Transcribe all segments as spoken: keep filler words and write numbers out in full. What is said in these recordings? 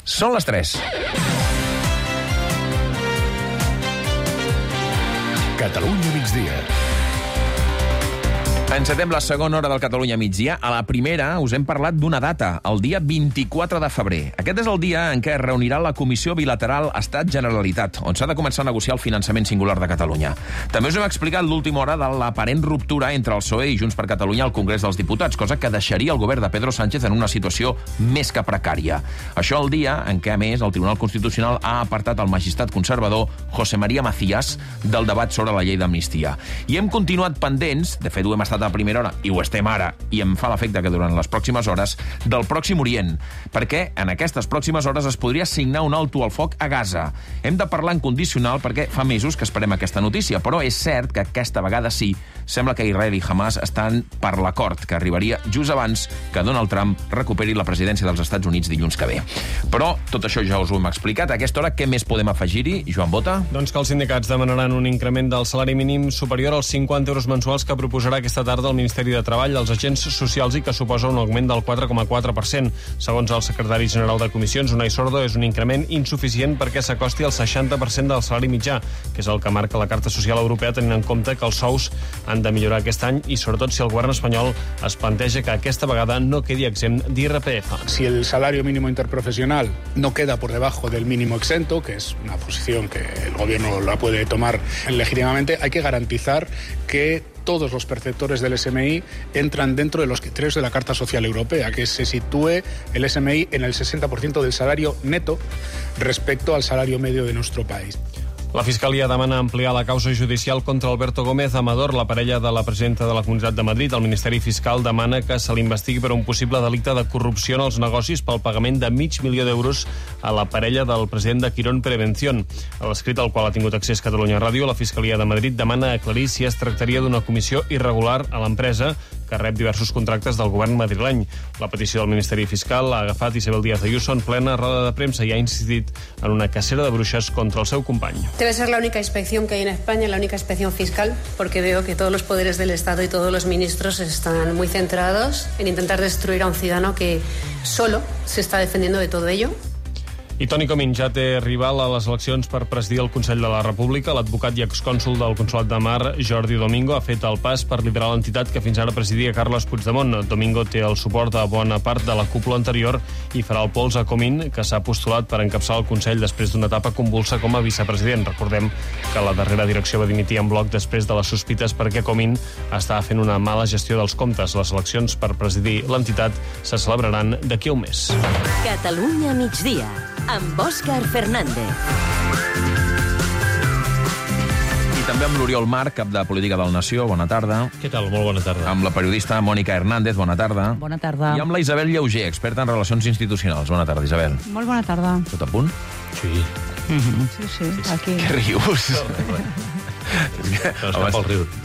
Són les tres. Catalunya migdia. Encetem la segona hora del Catalunya migdia. A la primera us hem parlat d'una data, el dia vint-i-quatre de febrer. Aquest és el dia en què es reunirà la Comissió Bilateral Estat-Generalitat, on s'ha de començar a negociar el finançament singular de Catalunya. També us hem explicat l'última hora de l'aparent ruptura entre el P S O E i Junts per Catalunya al Congrés dels Diputats, cosa que deixaria el govern de Pedro Sánchez en una situació més que precària. Això el dia en què, a més, el Tribunal Constitucional ha apartat el magistrat conservador José María Macías del debat sobre la llei d'amnistia. I hem continuat pendents, de fet ho hem estat a primera hora, i ho estem ara, i em fa l'efecte que durant les pròximes hores, del Pròxim Orient, perquè en aquestes pròximes hores es podria signar un alto al foc a Gaza. Hem de parlar en condicional perquè fa mesos que esperem aquesta notícia, però és cert que aquesta vegada sí, sembla que Israel i Hamas estan per l'acord, que arribaria just abans que Donald Trump recuperi la presidència dels Estats Units dilluns que ve. Però tot això ja us ho hem explicat. A aquesta hora, què més podem afegir-hi? Joan Bota? Doncs que els sindicats demanaran un increment del salari mínim superior als cinquanta euros mensuals que proposarà aquesta tarda el Ministeri de Treball als agents socials i que suposa un augment del quatre coma quatre per cent. Segons el secretari general de Comissions, Unai Sordo, és un increment insuficient perquè s'acosti al seixanta per cent del salari mitjà, que és el que marca la Carta Social Europea, tenint en compte que els sous han de millorar aquest any i, sobretot, si el govern espanyol es planteja que aquesta vegada no quedi exempt d'I R P F. Si el salario mínimo interprofesional no queda por debajo del mínimo exento, que es una posición que el gobierno la puede tomar legítimamente, hay que garantizar que todos los perceptores del S M I entran dentro de los criterios de la Carta Social Europea, que se sitúe el S M I en el sesenta por ciento del salario neto respecto al salario medio de nuestro país. La Fiscalia demana ampliar la causa judicial contra Alberto Gómez Amador, la parella de la presidenta de la Comunitat de Madrid. El Ministeri Fiscal demana que se l'investigui per un possible delicte de corrupció en els negocis pel pagament de mig milió d'euros a la parella del president de Quirón Prevención. A l'escrit al qual ha tingut accés Catalunya Ràdio, la Fiscalia de Madrid demana aclarir si es tractaria d'una comissió irregular a l'empresa que rep diversos contractes del govern madrileny. La petició del Ministeri Fiscal ha agafat Isabel Díaz Ayuso en plena roda de premsa i ha insistit en una cacera de bruixes contra el seu company. Debe ser la única inspección que hay en España, la única inspección fiscal, porque veo que todos los poderes del Estado y todos los ministros están muy centrados en intentar destruir a un ciudadano que solo se está defendiendo de todo ello. I Toni Comín ja té rival a les eleccions per presidir el Consell de la República. L'advocat i excònsol del Consolat de Mar, Jordi Domingo, ha fet el pas per liderar l'entitat que fins ara presidia Carles Puigdemont. Domingo té el suport de bona part de la cúpula anterior i farà el pols a Comín, que s'ha postulat per encapçalar el Consell després d'una etapa convulsa com a vicepresident. Recordem que la darrera direcció va dimitir en bloc després de les sospites perquè Comín estava fent una mala gestió dels comptes. Les eleccions per presidir l'entitat se celebraran d'aquí a un mes. Catalunya migdia, amb Òscar Fernández. I també amb l'Oriol Marc, cap de Política del Nació. Bona tarda. Què tal? Molt bona tarda. Amb la periodista Mònica Hernández. Bona tarda. Bona tarda. I amb la Isabel Lleuger, experta en relacions institucionals. Bona tarda, Isabel. Molt bona tarda. Tot a punt? Sí. Mm-hmm. Sí, sí, aquí. Què rius? Abans,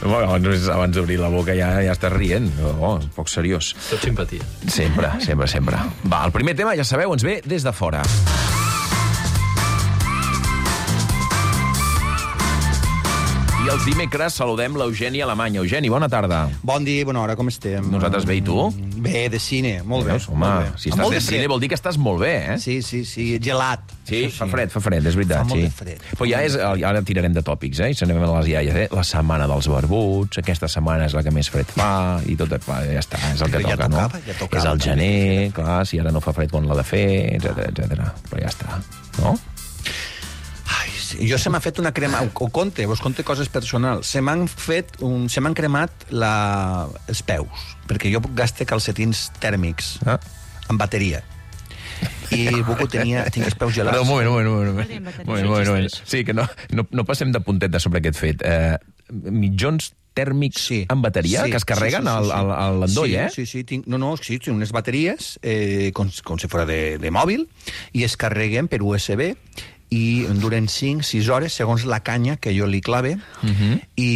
abans, abans d'obrir la boca ja, ja estàs rient. Oh, poc seriós. Tot simpatia. Sempre, sempre, sempre. Va, el primer tema, ja sabeu, ens ve des de fora. I els dimecres saludem l'Eugeni Alemany. Eugeni, bona tarda. Bon dia, bona hora, com estem? Nosaltres bé, i tu? Bé, de cine, molt bé. Veus, home, molt bé. si estàs de, de cine vol dir que estàs molt bé, eh? Sí, sí, sí, gelat. Sí, fa fred, fa fred, és veritat. Fa molt sí. de fred. Però ja és, ara tirarem de tòpics, eh? I se n'anem a les iaies, eh? La setmana dels barbuts, aquesta setmana és la que més fred fa, i tot, ja està, és el que ja toca, tocava, no? ja tocava, és el gener, clar, si ara no fa fred quan l'ha de fer, etcètera, etcètera. Però ja està, no? Ai, sí. Jo se m'ha fet una crema, ho conte, vos conte coses personals. Se m'han fet, un, se m'han cremat la, els peus, perquè jo gaste calcetins tèrmics Ah. amb bateria. I Buco tenia, tinc els peus gelats. Però un moment, un moment, un moment. Un moment, un moment, un moment. Sí, que no, no, no passem de punteta sobre aquest fet. Eh, mitjons tèrmics Sí. amb bateria Sí, que es carreguen sí, sí, sí, sí. al, al, al l'endoll, sí, eh? Sí, sí, tinc, no, no, sí, tinc unes bateries eh, com, com si fora de, de mòbil i es carreguen per U S B i duren cinc sis hores, segons la canya que jo li clave, uh-huh. i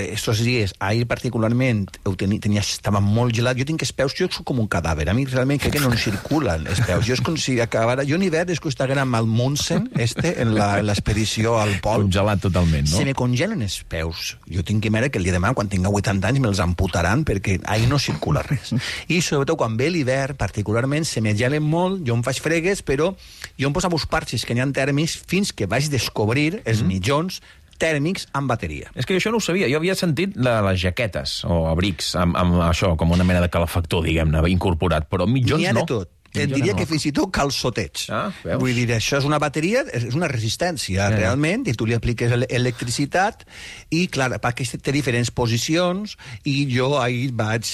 estos dies, ahir particularment, ho tenia, tenia, estava molt gelat, jo tinc els peus, jo soc com un cadàver, a mi realment crec que no em circulen els peus, jo és com si acabara, jo en hivern és que Instagram al Munsen, este, en l'expedició al pol. Congelat totalment, no? Se me congelen els peus. Jo tinc que mirar que el dia de demà, quan tinga vuitanta anys, me'ls amputaran, perquè ahir no circula res. I sobretot quan ve l'hivern, particularment, se me gelen molt, jo em faig fregues, però jo em posava uns parxes que n'hi ha tèrmics fins que vaig descobrir els mm. mitjons tèrmics amb bateria. És que això no ho sabia. Jo havia sentit la, les jaquetes o abrics amb, amb això, com una mena de calefactor, diguem-ne, incorporat, però mitjons no. N'hi ha de tot. Et diria que fins i tot calçoteig. Ah, veus? Vull dir, això és una bateria, és una resistència, ja, realment, i tu li apliques electricitat, i, clar, perquè té diferents posicions, i jo ahir vaig,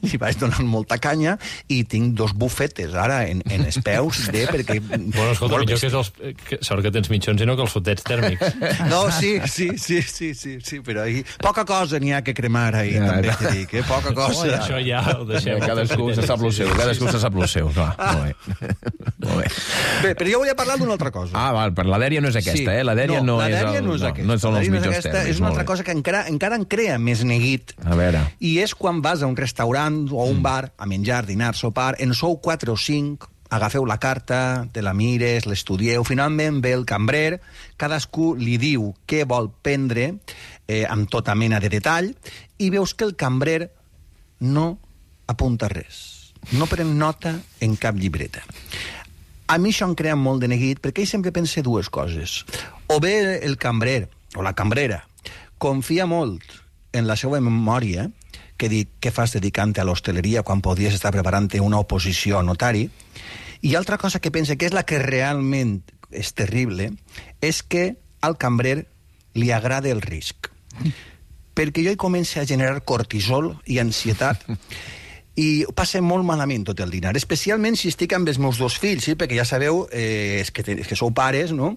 li vaig donar molta canya, i tinc dos bufetes, ara, en, en els peus, de, perquè... Bueno, escolta, millor que és els... Que, sort que tens mitjons i no calçotets tèrmics. No, sí, sí, sí, sí, sí, sí, però ahir... Poca cosa n'hi ha que cremar ahir, ja, també t'he dic, eh? Poca cosa. Oh, ja. Això ja ho deixem. Cadascú se sap lo seu, cadascú se sap lo seu, clar. Ah. Molt bé. Molt bé. Bé, però jo volia parlar d'una altra cosa. Ah, val, però la dèria no és aquesta, sí. eh? La dèria no, no, la dèria és, el, no és aquesta. No, no són els mitjons mitjons aquesta, tèrmics. És una altra cosa que encara, encara en crea més neguit. A veure. I és quan vas a un restaurant o a un bar a menjar, dinar, sopar, en sou quatre o cinc, agafeu la carta, te la mires, l'estudieu, finalment ve el cambrer, cadascú li diu què vol prendre, eh, amb tota mena de detall, i veus que el cambrer no apunta res. No pren nota en cap llibreta. A mi això em crea molt de neguit, perquè ell sempre pensa dues coses. O bé el cambrer, o la cambrera, confia molt en la seva memòria, que dic, què fas dedicant-te a l'hostaleria quan podries estar preparant una oposició a notari? I altra cosa que pensa, que és la que realment és terrible, és que al cambrer li agrada el risc. Perquè jo hi començo a generar cortisol i ansietat, i passen molt malament tot el dinar, especialment si estic amb els meus dos fills, sí? Perquè ja sabeu eh, és que, és que sou pares, no?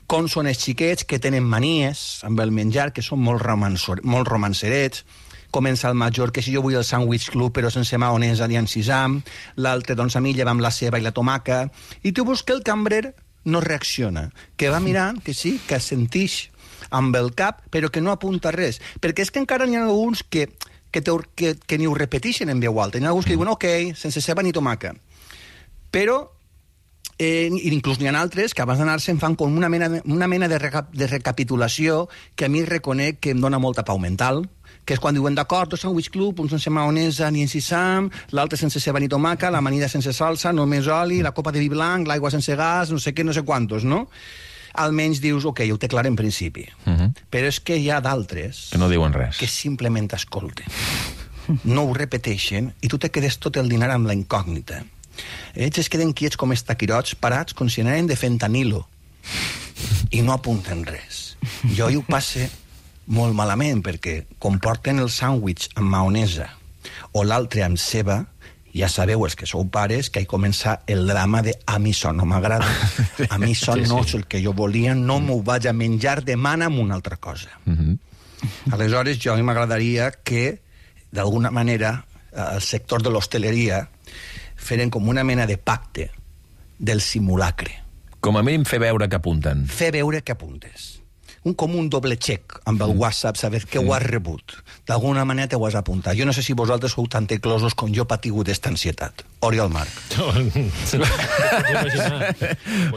Com són els xiquets que tenen manies amb el menjar, que són molt, molt romancerets. Comença el major, que si jo vull el sandwich club però sense maonesa ni encisam, l'altre, doncs a mi lleva'm la ceba i la tomaca, i tu veus que el cambrer no reacciona, que va mirant, que sí, que sentix amb el cap, però que no apunta res, perquè és que encara n'hi ha alguns que que, te, que, que ni ho repeteixen en veu alta. Hi ha alguns que diuen, ok, sense ceba ni tomaca. Però, eh, inclús n'hi ha altres que abans d'anar-se'n fan com una mena, una mena de, reca, de recapitulació que a mi reconec que em dona molta pau mental, que és quan diuen, d'acord, dos sandwich club, un sense maonesa ni encisam, l'altre sense ceba ni tomaca, l'amanida sense salsa, només oli, la copa de vi blanc, l'aigua sense gas, no sé què, no sé quantos, no? Almenys dius, ok, ho té clar en principi. Uh-huh. Però és que hi ha d'altres... Que no diuen res. Que simplement escolten. No ho repeteixen i tu te quedes tot el dinar amb la incògnita. Ells es queden quiets com estaquirots, parats, com si anaren de fentanilo. I no apunten res. Jo hi ho passe molt malament, perquè comporten el sàndwich amb maonesa o l'altre amb ceba. Ja sabeu, els que sou pares, que hi comença el drama de a mi això no m'agrada, a mi això sí, no és el que jo volia, no mm. m'ho vaig a menjar, demana'm una altra cosa. Mm-hmm. Aleshores, jo a mi m'agradaria que, d'alguna manera, el sector de l'hostaleria feren com una mena de pacte del simulacre. Com a mínim fer veure que apunten. Fer veure que apuntes. Un, com un doble xec amb el WhatsApp, saber que ho has rebut. D'alguna manera te ho has apuntat. Jo no sé si vosaltres sou tan teclosos com jo patigut d'esta ansietat. Oriol Marc. No,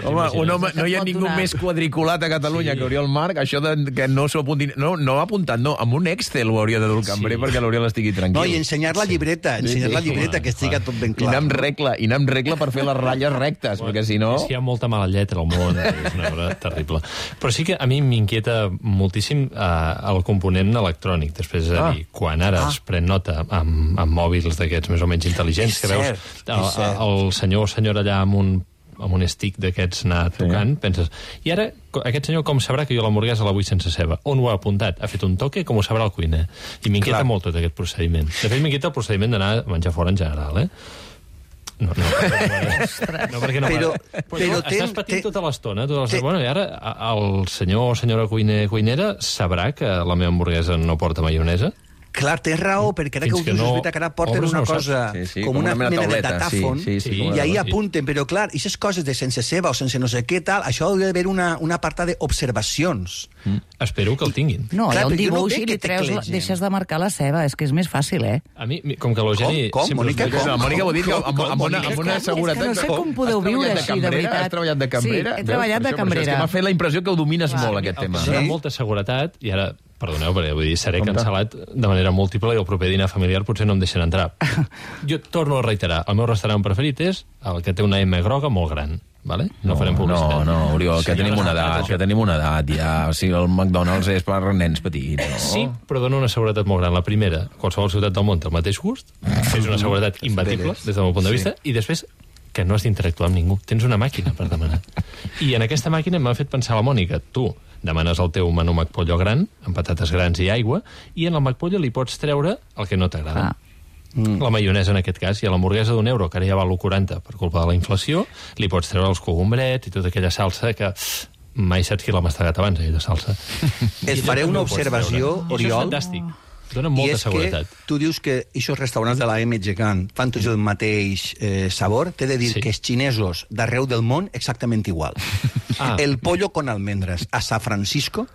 home, un home, no hi ha ningú més quadriculat a Catalunya sí. que Oriol Marc. Això de, que no s'ho apuntin... No, no ha apuntat, no. Amb un Excel ho hauria de dur el cambrer sí. perquè l'Oriol estigui tranquil. No, i ensenyar la llibreta, sí. ensenyar sí, sí. la llibreta, clar, que estigui tot ben clar. I anar amb regla, i anar amb regla per fer les ratlles rectes, bueno, perquè si no... És que hi ha molta mala lletra al món, és una cosa terrible. Però sí que a mi m'inquieta moltíssim eh, el component electrònic. Després, és a dir, ah. quan ara ah. es pren nota amb, amb mòbils d'aquests més o menys intel·ligents, que veus el, el senyor o senyora allà amb un, amb un stick d'aquests anar tocant, sí. penses, i ara aquest senyor com sabrà que jo l'hamburguesa la vull sense ceba? On ho ha apuntat? Ha fet un toque? Com ho sabrà el cuiner? I m'inquieta Clar. molt tot aquest procediment. De fet, m'inquieta el procediment d'anar a menjar fora en general, eh? No, no, no, perquè no però, però, però estàs patint ten, tota l'estona, tota l'estona. Bueno, i ara el senyor o senyora cuiner, cuinera sabrà que la meva hamburguesa no porta maionesa? Clar, tens raó, perquè ara que ho dius, no, és veritat que ara porten una cosa sí, sí, com, com una, una mena de datàfon, sí, sí, sí, i ahí apunten, però clar, aquestes coses de sense ceba o sense no sé què tal, això hauria d'haver una, una apartat d'observacions. Mm. Espero que el tinguin. No, clar, hi ha un dibuix no i li treus, deixes de marcar la ceba, és que és més fàcil, eh? A mi, com que l'Eugeni... Com? Com? Mònica, com? La Mònica ho ha dit amb, amb, una, amb una seguretat... És que no sé com podeu viure així, de veritat. Has treballat de cambrera? Sí, he treballat de cambrera. És que m'ha fet la impressió que ho domines molt, aquest tema. Sí? Amb molta seguretat, i ara... Perdoneu, perquè vull dir, seré cancel·lat de manera múltiple i el proper dinar familiar potser no em deixen entrar. Jo torno a reiterar, el meu restaurant preferit és el que té una M groga molt gran. Vale? No, no farem publicitat. No, no, Oriol, que tenim una edat, que tenim una edat, ja. O sigui, el McDonald's és per nens petits, no? Sí, però dona una seguretat molt gran. La primera, qualsevol ciutat del món té el mateix gust, és una seguretat imbatible, des del meu punt de vista, i després que no has d'interactuar amb ningú. Tens una màquina per demanar. I en aquesta màquina m'ha fet pensar la Mònica. Tu demanes el teu menú McPollo gran, amb patates grans i aigua, i en el McPollo li pots treure el que no t'agrada. Ah. Mm. La maionesa, en aquest cas, i a l'hamburguesa d'un euro, que ara ja val l'u quaranta per culpa de la inflació, li pots treure els cogombrets i tota aquella salsa que mai saps qui l'ha mastegat abans, aquella salsa. Es faré una observació, Oriol. Això és fantàstic. Dona molta seguretat. Que tu dius que aquests restaurants de la M gegant fan tots el mateix eh, sabor. T'he de dir sí. que els xinesos d'arreu del món exactament igual. Ah. El pollo con almendres a San Francisco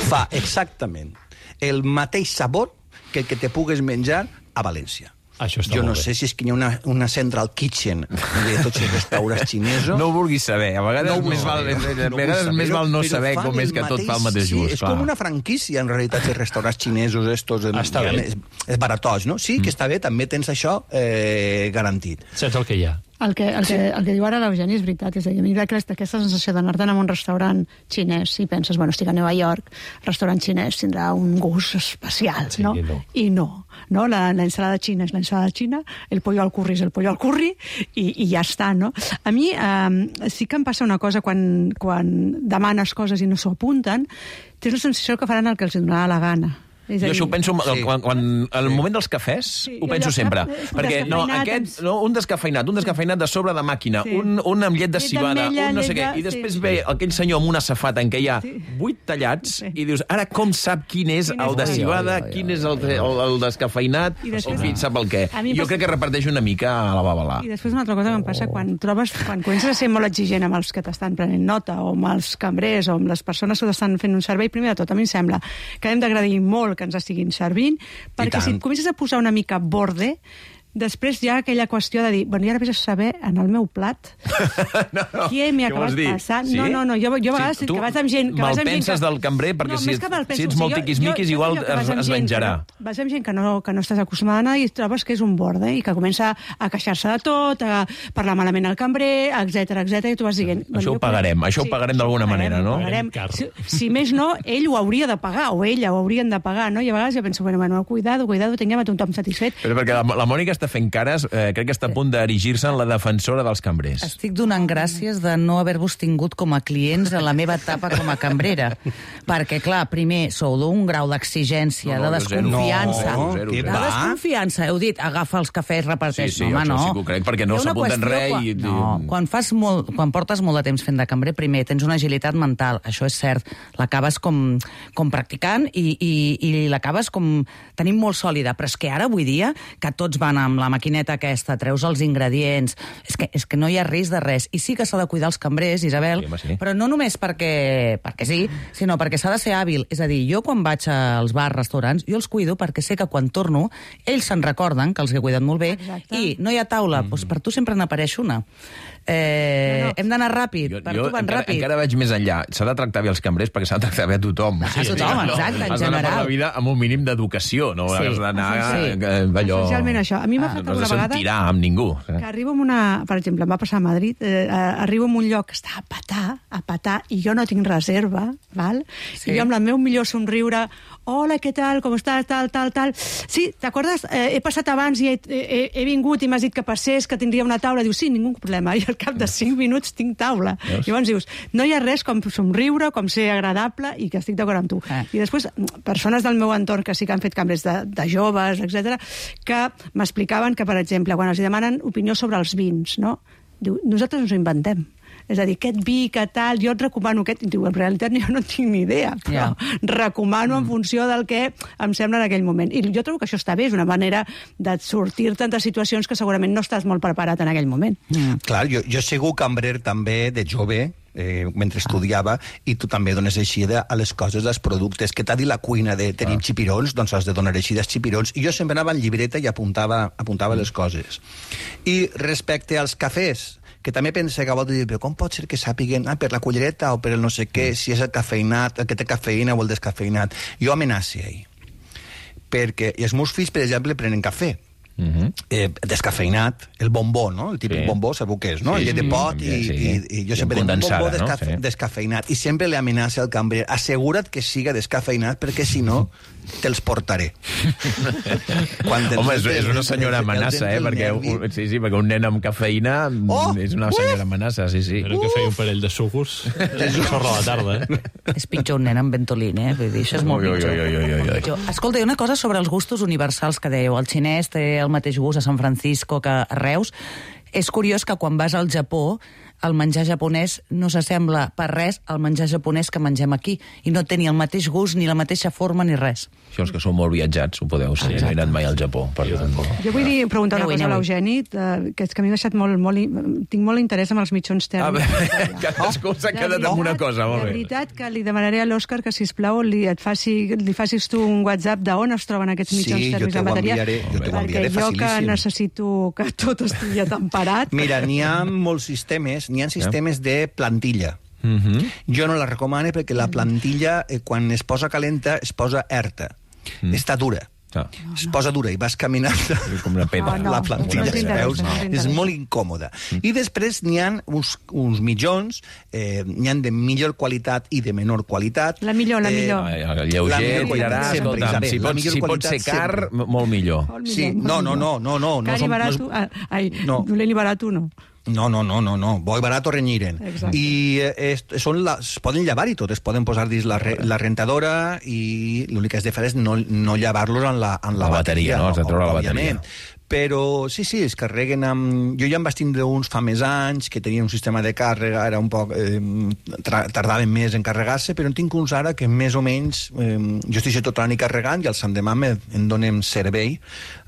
fa exactament el mateix sabor que el que te pugues menjar a València. Això està jo no bé. sé si és que hi ha una, una central kitchen de tots els restaurants xinesos. No ho vulguis saber. A vegades, no, més, val, no, a vegades no més val no saber com és que tot fa el mateix gust. Sí, és com una franquícia, en realitat, els restaurants xinesos estos. Està bé. És, és baratós, no? Sí, que està bé, també tens això eh, garantit. Saps el que hi ha? El que, el, que, el que diu ara l'Eugeni és veritat, és a dir, a mi aquesta, aquesta sensació d'anar-te'n a un restaurant xinès i penses, bueno, estic a Nova York, el restaurant xinès tindrà un gust especial, sí, no? no? I no, no? La, la ensalada xina és l'ensalada xina, el pollo al curri és el pollo al curri, i, i ja està, no? A mi eh, sí que em passa una cosa quan, quan demanes coses i no s'ho apunten, tens la sensació que faran el que els donarà la gana. Jo això ho penso sí. quan, quan el moment dels cafès, sí, ho penso sempre. Perquè no, aquest, no, un descafeinat, un descafeinat de sobre de màquina, sí. un, un amb llet de cibada, un no sé què, i després sí. ve aquell senyor amb una safata en què hi ha sí. vuit tallats, sí. i dius, ara com sap quin és quin el de cibada, oi, oi, oi, quin és el, el, el descafeinat, o en fi, sap el què. Jo crec que reparteix una mica a la babalà. I després una altra cosa que em passa, quan trobes, quan comences a ser molt exigent amb els que t'estan prenent nota, o amb els cambrers, o amb les persones que t'estan fent un servei, primer de tot, a mi em sembla que hem d'agradir molt que ens estiguin servint, perquè si et comences a posar una mica borde, després hi ha aquella qüestió de dir, bueno, i ara vés a saber en el meu plat no, no. què m'hi ha acabat passant. Sí? No, no, no, jo, jo a vegades sí, que vas amb gent... Tu malpenses del cambrer, perquè no, si, et, si ets molt tiquismiquis, igual es, es menjarà. No, vas amb gent que no, que no estàs acostumada a anar i trobes que és un borde i que comença a queixar-se de tot, a parlar malament al cambrer, etc etc i tu vas dient... Això ho pagarem, això ho pagarem d'alguna manera, no? Si, si més no, ell ho hauria de pagar, o ella ho haurien de pagar, no? I a vegades jo penso, bueno, bueno, cuidado, cuidado, tinguem a tothom satisfet. Però perquè la, la Mònica està fent cares, eh, crec que està a punt d'erigir-se en la defensora dels cambrers. Estic donant gràcies de no haver-vos tingut com a clients en la meva etapa com a cambrera. Perquè, clar, primer, sou d'un grau d'exigència, no, no, de desconfiança. No, zero, zero, zero. De desconfiança. Heu dit, agafa els cafès, reparteix. Sí, sí, no, home, no. Sí que ho crec, perquè no s'apunten res. Quan, i... no, quan, fas molt, quan portes molt de temps fent de cambrer, primer, tens una agilitat mental, això és cert. L'acabes com, com practicant i, i, i l'acabes com tenint molt sòlida. Però és que ara, avui dia, que tots van amb la maquineta aquesta, treus els ingredients, és que, és que no hi ha risc de res. I sí que s'ha de cuidar els cambrers, Isabel, sí, sí. però no només perquè, perquè sí, sinó perquè s'ha de ser hàbil. És a dir, jo quan vaig als bars, restaurants, jo els cuido perquè sé que quan torno, ells se'n recorden que els he cuidat molt bé. Exacte. I no hi ha taula, mm-hmm. doncs per tu sempre n'apareix una. Eh, no, no. Hem d'anar ràpid, jo, per jo tu van encara, ràpid. Encara vaig més enllà. S'ha de tractar bé els cambrers perquè s'ha de tractar bé a tothom. A sí, tothom, no, exacte, en has general. Has d'anar per la vida amb un mínim d'educació, no sí. has d'anar sí. allò... Essencialment això. A mi m'ha ah, fet no alguna vegada... No tirar amb ningú. Que arribo en una... Per exemple, em va passar a Madrid, eh, arribo en un lloc que està a petar, a petar, i jo no tinc reserva, val? Sí. I jo amb el meu millor somriure, hola, què tal, com estàs, tal, tal, tal... Sí, t'acordes? Eh, he passat abans i he, he, he vingut i m'has dit que passés, que tindria una taula. Diu, sí, ningú problema. I al cap de cinc minuts tinc taula. Veus? Llavors dius, no hi ha res com somriure, com ser agradable i que estic d'acord amb tu. Eh. I després, persones del meu entorn que sí que han fet canvis de, de joves, etcètera, que m'explicaven que, per exemple, quan els demanen opinió sobre els vins, no? Diu, nosaltres ens ho inventem. És a dir, aquest vi, que tal, jo et recomano aquest... I diu, en realitat jo no tinc ni idea, però yeah. recomano en funció del que em sembla en aquell moment. I jo trobo que això està bé, és una manera de sortir-te de situacions que segurament no estàs molt preparat en aquell moment. Mm. Clar, jo, jo he sigut cambrer també de jove, eh, mentre estudiava, i tu també dones eixida a les coses, als productes. Que t'ha dit la cuina de tenir ah. xipirons, doncs has de donar eixida als xipirons. I jo sempre anava en llibreta i apuntava, apuntava mm. les coses. I respecte als cafès, que també pensa que a voltes dir, però com pot ser que sàpiguen ah, per la cullereta o per el no sé què, si és el cafeïnat, el que té cafeïna o el descafeïnat. Jo amenaci ahir. Perquè, i els meus fills, per exemple, prenen cafè. Uh-huh. eh, descafeïnat, el bombó, no? El típic sí. bombó, sabeu què és, no? Sí, el de pot i, sí. i, i jo sempre dic un bombó descafe, no? sí. descafeïnat. I sempre li amenaça al cambrer, assegura't que siga descafeïnat perquè si no te'ls portaré. Home, és, és una senyora amenaça, eh? Perquè un, sí, sí, perquè un nen amb cafeïna oh, és una senyora amenaça, sí, sí. Però que feia un parell de sucos és un sorra a la tarda, eh? És pitjor un nen amb Ventolin, eh? Vull dir, això és molt ui, pitjor. Ui, ui, ui, ui, ui. Escolta, hi ha una cosa sobre els gustos universals que dèieu. El xinès té el mateix gust a San Francisco que a Reus. És curiós que quan vas al Japó el menjar japonès no s'assembla per res al menjar japonès que mengem aquí i no té ni el mateix gust, ni la mateixa forma, ni res. Això els que són molt viatjats ho podeu ser, no he anat mai al Japó. Per jo vull dir, preguntar una cosa a l'Eugeni, que és que a mi m'ha deixat molt, molt... Tinc molt interès en els mitjons tèrmics. Ah, cadascú s'ha quedat amb una cosa, molt bé. De veritat que li demanaré a l'Òscar que, sisplau, li, et faci, li facis tu un WhatsApp d'on es troben aquests mitjons tèrmics en bateria. Sí, jo te ho enviaré, perquè jo que necessito que tot estigui temperat... Mira, n'hi ha molts sistemes, n'hi ha sistemes de plantilla. Uh-huh. Jo no la recomano perquè la plantilla, eh, quan es posa calenta, es posa erta. Uh-huh. Està dura. Ah. Es posa dura i vas caminant com una pedra. Oh, no. La plantilla, no, no, veus? No, no, és molt incòmoda. Mm. I després n'hi ha uns, uns mitjons, eh, n'hi ha de millor qualitat i de menor qualitat. La millor, la millor. Eh, el lleuger, tirarà, escolta'm, si pot, si pot ser car, sempre. molt millor. Molt millor sí, no, no, no, no, no. Car i barat, no és... ai, no. dolent i barat, no. No, no, no, no, no. Bo i barat o renyiren. Exacte. I eh, són la, es poden llevar i tot, es poden posar dins la, re, la rentadora i l'únic que has de fer és no, no llevar-los en la, en la, la bateria. bateria no? Has de treure la bateria. Però sí, sí, es carreguen amb... Jo ja em vaig tindre uns fa més anys que tenien un sistema de càrrega, era un poc... Eh, tardaven més en carregar-se, però en tinc uns ara que més o menys... Eh, jo estic tota la nit carregant i al endemà em donen servei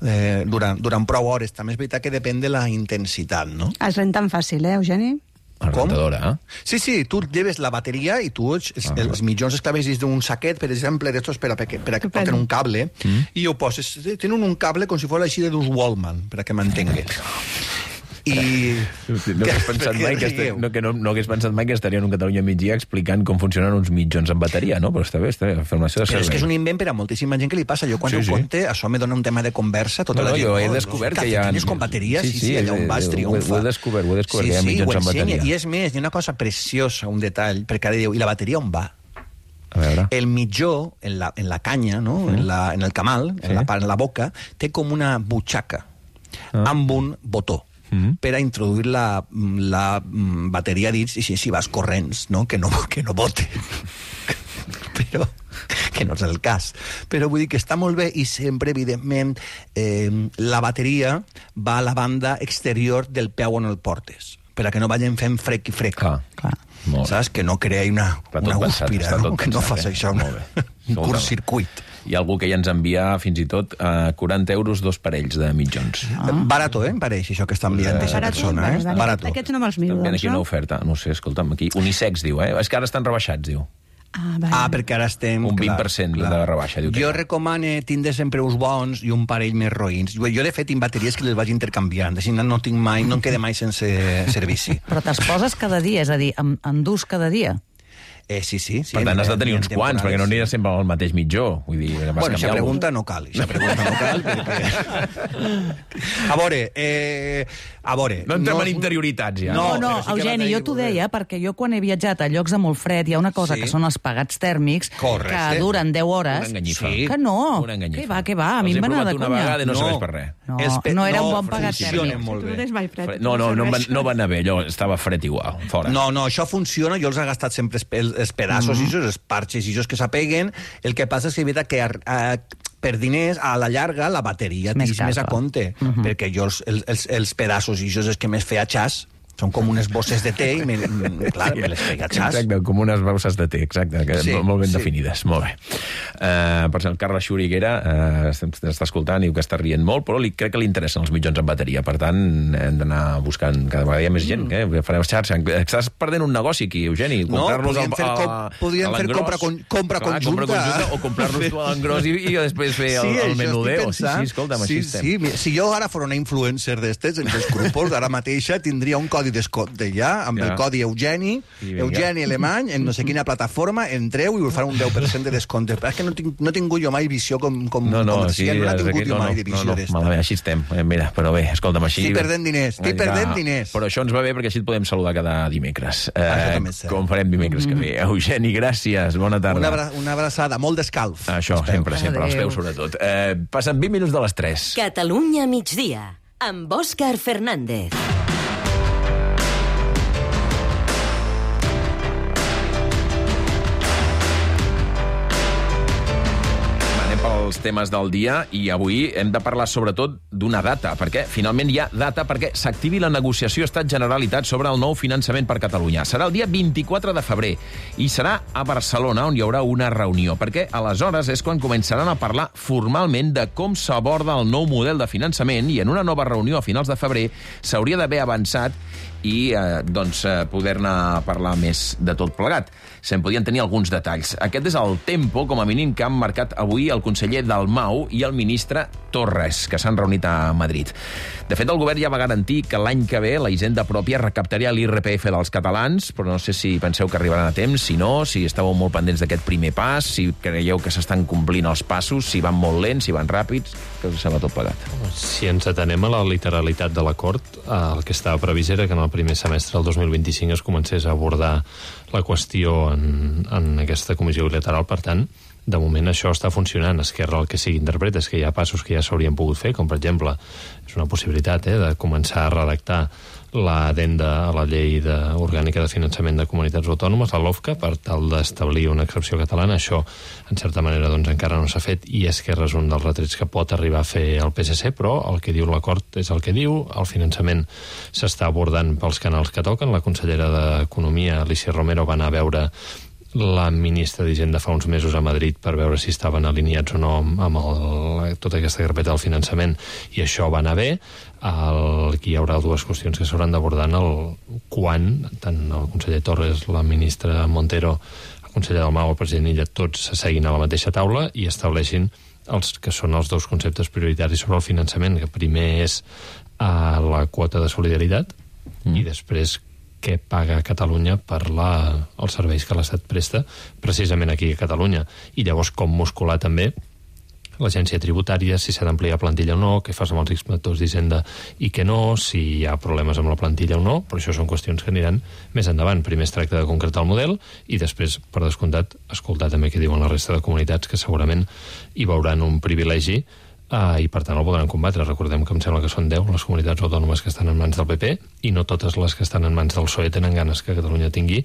eh, durant, durant prou hores. També és veritat que depèn de la intensitat, no? Es renten fàcil, eh, Eugeni? La rentadora, eh? Sí, sí, tu lleves la bateria i tu els, ah, els mitjons els claves dins d'un saquet, per exemple, d'estos per a, per a, per a que porten un cable, mm. i ho poses... Tenen un cable com si fos així d'uns Wallman, per a que m'entengues. I... No hagués pensat mai que, esta... no, que no, no hagués pensat mai que estaria en un Catalunya migdia explicant com funcionen uns mitjons en bateria, no? Però està bé, està bé, formació de servei. Però és que és un invent per a moltíssima gent que li passa. Jo quan sí, ho sí. conte, això me dona un tema de conversa, tota no, la gent... No, jo he descobert que hi ha... Cafetines con bateria, sí, sí, sí, allà on vas triomfa. Ho he descobert, ho he descobert, sí, que hi ha mitjons en bateria. I és més, hi ha una cosa preciosa, un detall, perquè ara diu, i la bateria on va? A veure. El mitjó, en la, en la canya, no? Mm. en, la, en el camal, sí. en, la, en la boca, té com una butxaca ah. amb un botó. Mm. per a introduir la, la bateria dins i si, si vas corrents, no? Que no, que no bote. Però que no és el cas. Però vull dir que està molt bé i sempre, evidentment, eh, la bateria va a la banda exterior del peu on el portes, per a que no vagin fent frec i frec. Clar, clar. Saps? Que no creï una, una guspira, no? Que no faci això un, un curt-circuit. Hi ha algú que ja ens envia fins i tot a quaranta euros dos parells de mitjons. Ah. Barato, eh, em pareix, això que està enviant d'aquesta eh, persona. Eh? Barato. Aquests no me'ls miro, doncs, no? Aquí una oferta, no sé, escolta'm, aquí. Unisex, diu, eh? És que ara estan rebaixats, diu. Ah, vale. ah, perquè ara estem... Un vint per cent clar, de rebaixa. Diu jo recomano tindre sempre uns bons i un parell més roïns. Jo, de fet, tinc bateries que les vaig intercanviant. Així no tinc mai, no em queda mai sense servici. Però te'ls poses cada dia, és a dir, en, en dus cada dia? Eh, sí, sí, sí. Per tant, has de tenir uns quants, perquè no aniràs sempre al mateix mitjó. Vull dir, bueno, aquesta pregunta no cal, aquesta pregunta no cal, perquè... A veure, eh... A veure... No entrem no... en interioritats, ja. No, no, sí Eugeni, jo t'ho deia, perquè jo quan he viatjat a llocs de molt fred hi ha una cosa sí. que són els pagats tèrmics, correcte, que duren deu hores. Una enganyifa. Sí. Que no. Una enganyifa. Que va, que va, a mi em va anar de conya. Els he provat una vegada i no serveix per res. No, pe... no era no, un bon pagat tèrmic. Molt bé. No, no, no, va, no va anar bé, allò estava fred igual, fora. No, no, això funciona, jo els he gastat sempre els, els pedaços mm -hmm. i els parxes i els que s'apeguen. El que passa és que, veritat, que a, a, per diners, a la llarga, la bateria és més, més a compte, uh -huh. perquè jo els, els, els pedaços i els que més feia xas Són com unes bosses de té i, me, clar, me les feia xas. Exacte, com unes bosses de té, exacte, que sí, molt ben sí. definides. Molt bé. Uh, per exemple, Carles Xuriguera uh, està escoltant i diu que està rient molt, però li, crec que li interessen els mitjons en bateria. Per tant, hem d'anar buscant cada vegada hi ha més gent. Mm. Eh? Farem xarxa. Estàs perdent un negoci aquí, Eugeni. No, podríem fer, com, podríem fer compra, con, compra, Clar, conjunta. compra conjunta. O comprar-nos tu a l'engròs i, i després fer el, sí, el menudeo. Sí, sí, escolta'm, sí, així sí. Si jo ara fos una influencer d'estes, en els grupos, ara mateixa tindria un codi descompte ja, amb ja. el codi Eugeni, Eugeni Alemany, en no sé quina plataforma, entreu i us farà un deu per cent de descompte. Però és que no, tinc, no he tingut jo mai visió com, com no, no, comercial, sí, no he tingut aquí, jo no, mai de visió no, no, d'esta. Malament, així estem. Eh, mira, però bé, escolta'm, així... Estic perdent diners, estic perdent diners. Però això ens va bé perquè així et podem saludar cada dimecres. Eh, ah, com farem dimecres que ve. Eugeni, gràcies, bona tarda. Una, abra una abraçada, molt d'escalf. Això, sempre, sempre, als peus sobretot. Eh, passen vint minuts de les tres. Catalunya migdia, amb Òscar Fernández. Els temes del dia i avui hem de parlar sobretot d'una data, perquè finalment hi ha data perquè s'activi la negociació Estat-Generalitat sobre el nou finançament per Catalunya. Serà el dia vint-i-quatre de febrer i serà a Barcelona on hi haurà una reunió, perquè aleshores és quan començaran a parlar formalment de com s'aborda el nou model de finançament i en una nova reunió a finals de febrer s'hauria d'haver avançat i eh, doncs, eh, poder-ne parlar més de tot plegat. Se'n podien tenir alguns detalls. Aquest és el tempo, com a mínim, que han marcat avui el conseller Dalmau i el ministre Torres, que s'han reunit a Madrid. De fet, el govern ja va garantir que l'any que ve la Hisenda pròpia recaptaria l'I R P F dels catalans, però no sé si penseu que arribaran a temps, si no, si estàveu molt pendents d'aquest primer pas, si creieu que s'estan complint els passos, si van molt lents, si van ràpids, que us sembla tot plegat. Si ens atenem a la literalitat de l'acord, el que estava previst era que en el primer semestre del dos mil vint-i-cinc es comencés a abordar la qüestió en, en aquesta comissió bilateral. Per tant, de moment això està funcionant. Esquerra el que sigui interpreta és que hi ha passos que ja s'haurien pogut fer, com per exemple, és una possibilitat eh, de començar a redactar l'adenda a la llei de, orgànica de finançament de comunitats autònomes, la LOFCA, per tal d'establir una excepció catalana. Això, en certa manera, doncs, encara no s'ha fet i Esquerra és un dels retrets que pot arribar a fer el P S C, però el que diu l'acord és el que diu. El finançament s'està abordant pels canals que toquen. La consellera d'Economia, Alicia Romero, va anar a veure la ministra d'Hisenda fa uns mesos a Madrid per veure si estaven alineats o no amb el, tota aquesta carpeta del finançament, i això va anar bé. El, aquí hi haurà dues qüestions que s'hauran d'abordar en el quan, tant el conseller Torres, la ministra Montero, el conseller Dalmau, el president Illa, tots s'asseguin a la mateixa taula i estableixin els que són els dos conceptes prioritaris sobre el finançament, que primer és uh, la quota de solidaritat mm. i després què paga Catalunya per la, els serveis que l'Estat presta precisament aquí a Catalunya. I llavors com muscular també l'agència tributària, si s'ha d'ampliar plantilla o no, què fas amb els inspectors d'Hisenda i què no, si hi ha problemes amb la plantilla o no, però això són qüestions que aniran més endavant. Primer es tracta de concretar el model i després, per descomptat, escoltar també què diuen la resta de comunitats, que segurament hi veuran un privilegi Uh, i per tant el podran combatre. Recordem que em sembla que són deu les comunitats autònomes que estan en mans del P P i no totes les que estan en mans del P S O E tenen ganes que Catalunya tingui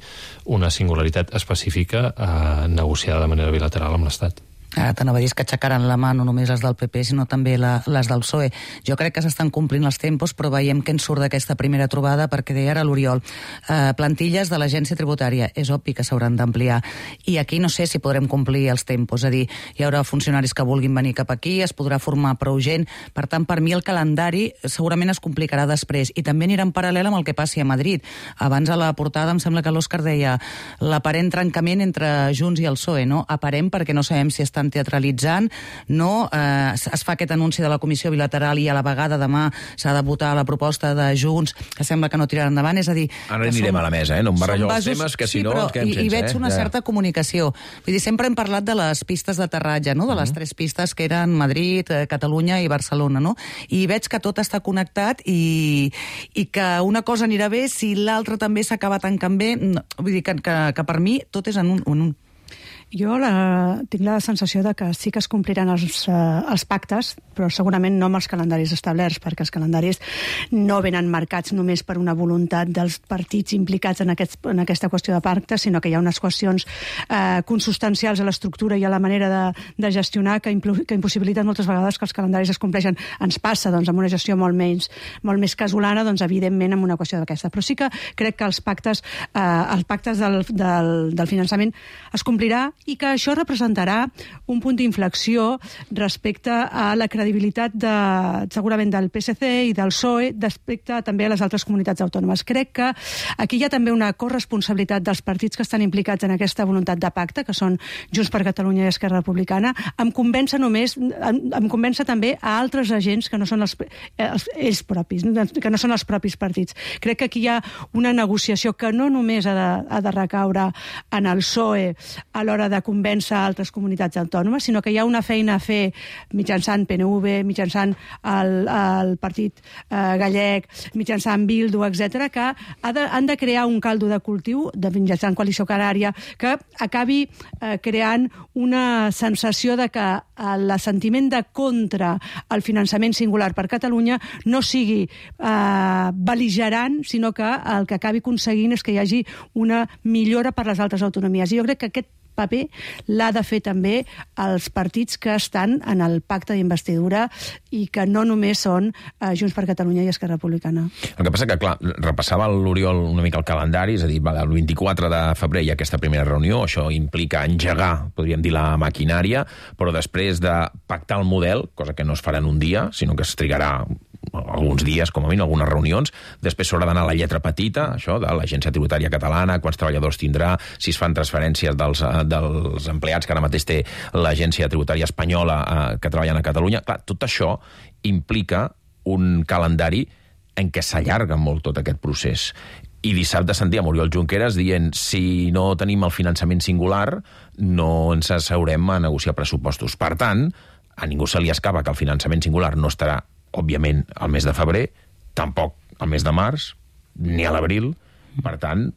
una singularitat específica uh, negociada de manera bilateral amb l'Estat. Ara t'anava a dir que aixecaran la mà no només les del P P, sinó també la, les del P S O E. Jo crec que s'estan complint els tempos, però veiem que ens surt d'aquesta primera trobada, perquè deia ara l'Oriol, eh, plantilles de l'agència tributària, és obvi que s'hauran d'ampliar. I aquí no sé si podrem complir els tempos, és a dir, hi haurà funcionaris que vulguin venir cap aquí, es podrà formar prou gent, per tant, per mi el calendari segurament es complicarà després, i també anirà en paral·lel amb el que passi a Madrid. Abans a la portada em sembla que l'Òscar deia l'aparent trencament entre Junts i el P S O E, no? Aparent perquè no sabem si estan teatralitzant, no, eh, es fa aquest anunci de la comissió bilateral i a la vegada demà s'ha de votar la proposta de Junts, que sembla que no tirarà endavant, és a dir... Ara anirem som, a la mesa, eh? No em barrejeu els temes, que sí, si no però, ens quedem i, sense. I veig una eh? certa comunicació. Vull dir, sempre hem parlat de les pistes d'aterratge, no? De les tres pistes que eren Madrid, eh, Catalunya i Barcelona, no? I veig que tot està connectat i, i que una cosa anirà bé si l'altra també s'acaba tancant bé. No, vull dir que, que, que per mi tot és en un... En un. Jo la, tinc la sensació de que sí que es compliran els, uh, els pactes, però segurament no amb els calendaris establerts, perquè els calendaris no venen marcats només per una voluntat dels partits implicats en, aquest, en aquesta qüestió de pactes, sinó que hi ha unes qüestions uh, consustancials a l'estructura i a la manera de, de gestionar que, impl que impossibiliten moltes vegades que els calendaris es compleixen. Ens passa doncs, amb una gestió molt, menys, molt més casolana, doncs, evidentment, amb una qüestió d'aquesta. Però sí que crec que els pactes, eh, els pactes del, del, del finançament es complirà i que això representarà un punt d'inflexió respecte a la credibilitat de, segurament del P S C i del P S O E respecte també a les altres comunitats autònomes. Crec que aquí hi ha també una corresponsabilitat dels partits que estan implicats en aquesta voluntat de pacte, que són Junts per Catalunya i Esquerra Republicana. Em convença només, em, em convença també a altres agents que no són els, els, ells propis, que no són els propis partits. Crec que aquí hi ha una negociació que no només ha de, ha de recaure en el P S O E a l'hora de convèncer altres comunitats autònomes, sinó que hi ha una feina a fer mitjançant P N V, mitjançant el, el Partit eh, Gallec, mitjançant Bildu, etcètera, que ha de, han de crear un caldo de cultiu, de mitjançant Coalició Canària, que acabi eh, creant una sensació de que l'assentiment de contra el finançament singular per Catalunya no sigui eh, bel·ligerant, sinó que el que acabi aconseguint és que hi hagi una millora per les altres autonomies. I jo crec que aquest paper l'ha de fer també els partits que estan en el pacte d'investidura i que no només són eh, Junts per Catalunya i Esquerra Republicana. El que passa que, clar, repassava l'Oriol una mica el calendari, és a dir, va, el vint-i-quatre de febrer hi ha aquesta primera reunió, això implica engegar, podríem dir, la maquinària, però després de pactar el model, cosa que no es farà en un dia, sinó que es trigarà alguns dies, com a mínim, algunes reunions. Després s'haurà d'anar a la lletra petita, això, de l'Agència Tributària Catalana, quants treballadors tindrà, si es fan transferències dels, dels empleats que ara mateix té l'Agència Tributària Espanyola eh, que treballen a Catalunya. Clar, tot això implica un calendari en què s'allarga molt tot aquest procés. I dissabte sentíem Oriol Junqueras dient si no tenim el finançament singular no ens asseurem a negociar pressupostos. Per tant, a ningú se li escapa que el finançament singular no estarà òbviament, al mes de febrer, tampoc al mes de març, ni a l'abril. Per tant,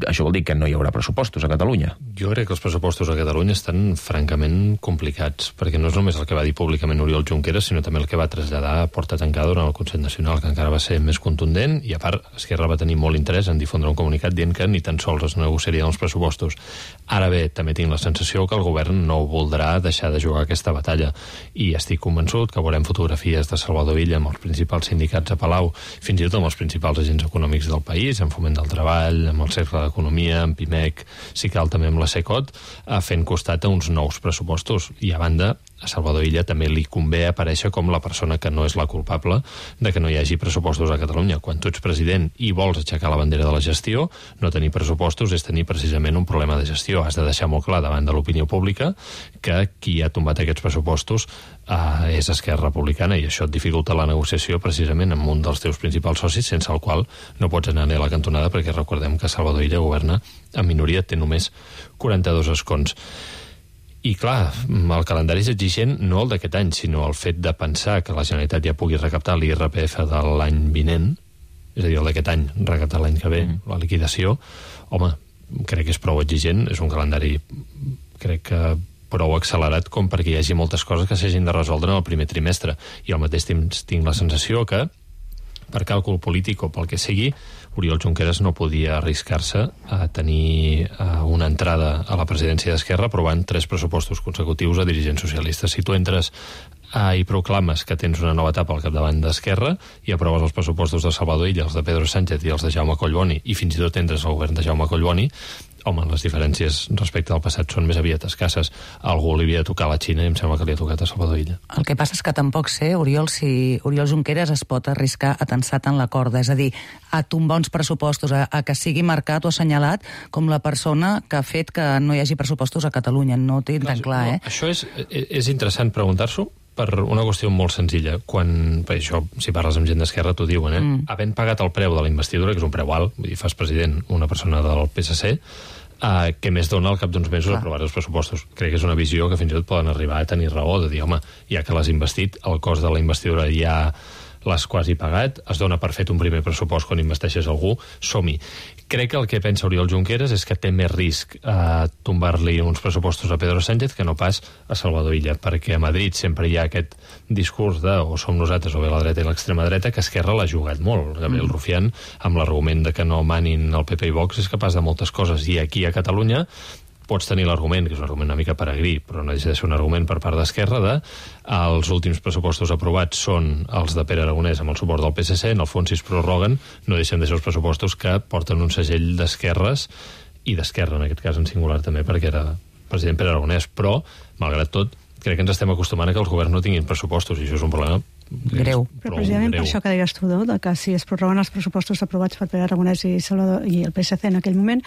això vol dir que no hi haurà pressupostos a Catalunya. Jo crec que els pressupostos a Catalunya estan francament complicats, perquè no és només el que va dir públicament Oriol Junqueras, sinó també el que va traslladar a porta tancada durant el Consell Nacional, que encara va ser més contundent, i a part, Esquerra va tenir molt interès en difondre un comunicat dient que ni tan sols es negociarien els pressupostos. Ara bé, també tinc la sensació que el govern no voldrà deixar de jugar aquesta batalla, i estic convençut que veurem fotografies de Salvador Illa amb els principals sindicats a Palau, fins i tot amb els principals agents econòmics del país, en Foment del Treball, amb el Cercle d'Economia, amb Pimec, si cal també amb la Secot, fent costat a uns nous pressupostos. I a banda, a Salvador Illa també li convé aparèixer com la persona que no és la culpable de que no hi hagi pressupostos a Catalunya. Quan tu ets president i vols aixecar la bandera de la gestió, no tenir pressupostos és tenir precisament un problema de gestió. Has de deixar molt clar davant de l'opinió pública que qui ha tombat aquests pressupostos eh, és Esquerra Republicana, i això et dificulta la negociació precisament amb un dels teus principals socis, sense el qual no pots anar a la cantonada, perquè recordem que Salvador Illa governa en minoria, té només quaranta-dos escons. I clar, el calendari és exigent no el d'aquest any, sinó el fet de pensar que la Generalitat ja pugui recaptar l'I R P F de l'any vinent, és a dir, el d'aquest any, recaptar l'any que ve, mm. la liquidació, home, crec que és prou exigent, és un calendari, crec que prou accelerat com perquè hi hagi moltes coses que s'hagin de resoldre en el primer trimestre. I al mateix temps tinc la sensació que, per càlcul polític o pel que sigui, Oriol Junqueras no podia arriscar-se a tenir una entrada a la presidència d'Esquerra aprovant tres pressupostos consecutius a dirigents socialistes. Si tu entres i proclames que tens una nova etapa al capdavant d'Esquerra i aproves els pressupostos de Salvador Illa, els de Pedro Sánchez i els de Jaume Collboni, i fins i tot entres al govern de Jaume Collboni, home, les diferències respecte al passat són més aviat escasses. A algú li havia de tocar a la Xina i em sembla que li ha tocat a Salvador Illa. El que passa és que tampoc sé, Oriol, si Oriol Junqueras es pot arriscar a tensar tant la corda, és a dir, a tombar uns pressupostos, a, a que sigui marcat o assenyalat com la persona que ha fet que no hi hagi pressupostos a Catalunya. No ho tinc tan clar, eh? No, això és, és interessant preguntar-s'ho per una qüestió molt senzilla. Quan, per això, si parles amb gent d'Esquerra, t'ho diuen, eh? Mm. Havent pagat el preu de la investidura, que és un preu alt, vull dir, fas president una persona del P S C, Uh, què més dona al cap d'uns mesos ah. aprovar els pressupostos. Crec que és una visió que fins i tot poden arribar a tenir raó, de dir, home, ja que l'has investit, el cost de la investidura ja l'has quasi pagat, es dona per fet un primer pressupost quan investeixes algú, som-hi. Crec que el que pensa Oriol Junqueras és que té més risc a tombar-li uns pressupostos a Pedro Sánchez que no pas a Salvador Illa, perquè a Madrid sempre hi ha aquest discurs de o som nosaltres o bé la dreta i l'extrema dreta, que Esquerra l'ha jugat molt. Gabriel mm. Rufián, amb l'argument de que no manin el P P i Vox, és capaç de moltes coses, i aquí a Catalunya pots tenir l'argument, que és un argument una mica peregrí, però no deixa de ser un argument per part d'Esquerra, de els últims pressupostos aprovats són els de Pere Aragonès amb el suport del P S C, en el fons si es prorroguen no deixen de ser els pressupostos que porten un segell d'esquerres, i d'Esquerra en aquest cas en singular també, perquè era president Pere Aragonès, però, malgrat tot, crec que ens estem acostumant a que els governs no tinguin pressupostos, i això és un problema greu. Però precisament greu. Per això que deies tu, de que si es prorroguen els pressupostos aprovats per Pere Aragonès i, Salvador, i el P S C en aquell moment,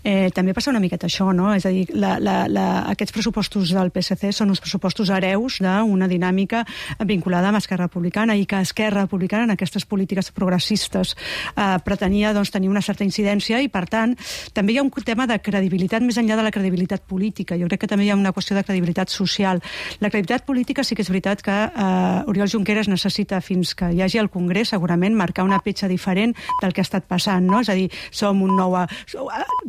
eh, també passa una miqueta això, no? És a dir, la, la, la, aquests pressupostos del P S C són uns pressupostos hereus d'una dinàmica vinculada amb Esquerra Republicana, i que Esquerra Republicana en aquestes polítiques progressistes eh, pretenia doncs, tenir una certa incidència, i per tant també hi ha un tema de credibilitat més enllà de la credibilitat política. Jo crec que també hi ha una qüestió de credibilitat social. La credibilitat política sí que és veritat que eh, Oriol Junqueras necessita, fins que hi hagi el Congrés, segurament marcar una petja diferent del que ha estat passant, no? És a dir, som un nou...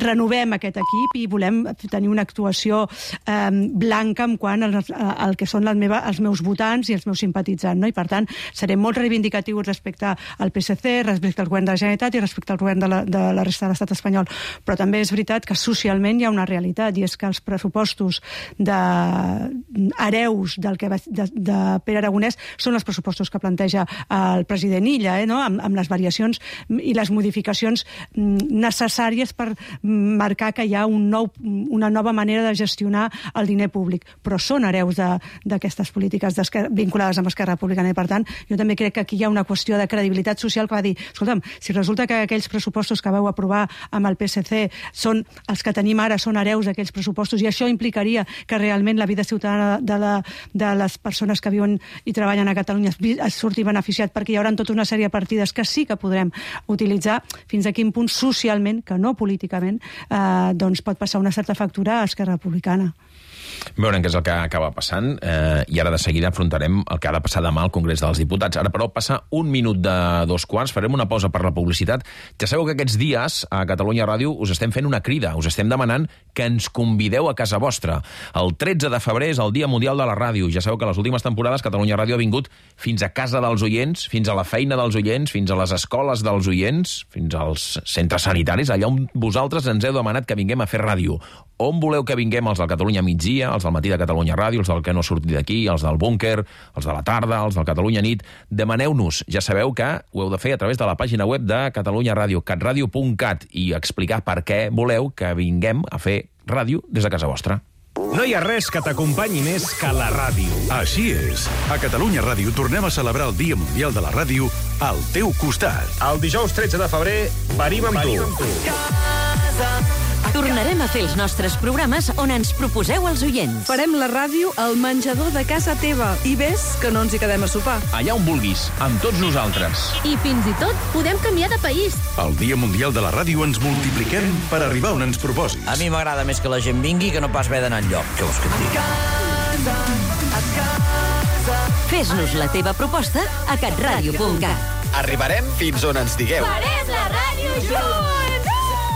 renovem aquest equip i volem tenir una actuació eh, blanca en quant al, al que són la meva, els meus votants i els meus simpatitzants, no? I per tant, serem molt reivindicatius respecte al P S C, respecte al govern de la Generalitat i respecte al govern de la, de la resta de l'estat espanyol. Però també és veritat que socialment hi ha una realitat, i és que els pressupostos de hereus del que va, de, de Pere Aragonès són els pressupostos que planteja el president Illa, eh, no? amb, amb les variacions i les modificacions necessàries per marcar que hi ha un nou, una nova manera de gestionar el diner públic. Però són hereus d'aquestes polítiques vinculades amb Esquerra Republicana, i per tant jo també crec que aquí hi ha una qüestió de credibilitat social que va dir, escolta'm, si resulta que aquells pressupostos que vau aprovar amb el P S C són els que tenim ara, són hereus d'aquells pressupostos, i això implicaria que realment la vida ciutadana de, la, de les persones que viuen i treballen a Catalunya es surti beneficiat, perquè hi haurà tota una sèrie de partides que sí que podrem utilitzar, fins a quin punt socialment, que no políticament, eh, doncs pot passar una certa factura a Esquerra Republicana. Veurem què és el que acaba passant, eh, i ara de seguida afrontarem el que ha de passar demà al Congrés dels Diputats. Ara, però, passa un minut de dos quarts, farem una pausa per la publicitat. Ja sabeu que aquests dies a Catalunya Ràdio us estem fent una crida, us estem demanant que ens convideu a casa vostra. El tretze de febrer és el Dia Mundial de la Ràdio. Ja sabeu que les últimes temporades Catalunya Ràdio ha vingut fins a casa dels oients, fins a la feina dels oients, fins a les escoles dels oients, fins als centres sanitaris, allà on vosaltres ens heu demanat que vinguem a fer ràdio. On voleu que vinguem? Els del Catalunya Migdia, els del Matí de Catalunya Ràdio, els del Que no ha sortit d'aquí, els del Búnquer, els de la tarda, els del Catalunya Nit. Demaneu-nos. Ja sabeu que ho heu de fer a través de la pàgina web de Catalunya Ràdio, catradio punt cat, i explicar per què voleu que vinguem a fer ràdio des de casa vostra. No hi ha res que t'acompanyi més que la ràdio. Així és. A Catalunya Ràdio tornem a celebrar el Dia Mundial de la Ràdio al teu costat. El dijous tretze de febrer venim amb tu. Amb tu. Tornarem a fer els nostres programes on ens proposeu els oients. Farem la ràdio al menjador de casa teva. I ves que no ens hi quedem a sopar. Allà on vulguis, amb tots nosaltres. I fins i tot podem canviar de país. El Dia Mundial de la Ràdio ens multipliquem per arribar on ens proposis. A mi m'agrada més que la gent vingui que no pas haver d'anar enlloc. Què vols que et digui? Fes-nos la teva proposta a catradio punt cat. Arribarem fins on ens digueu. Farem la ràdio junts!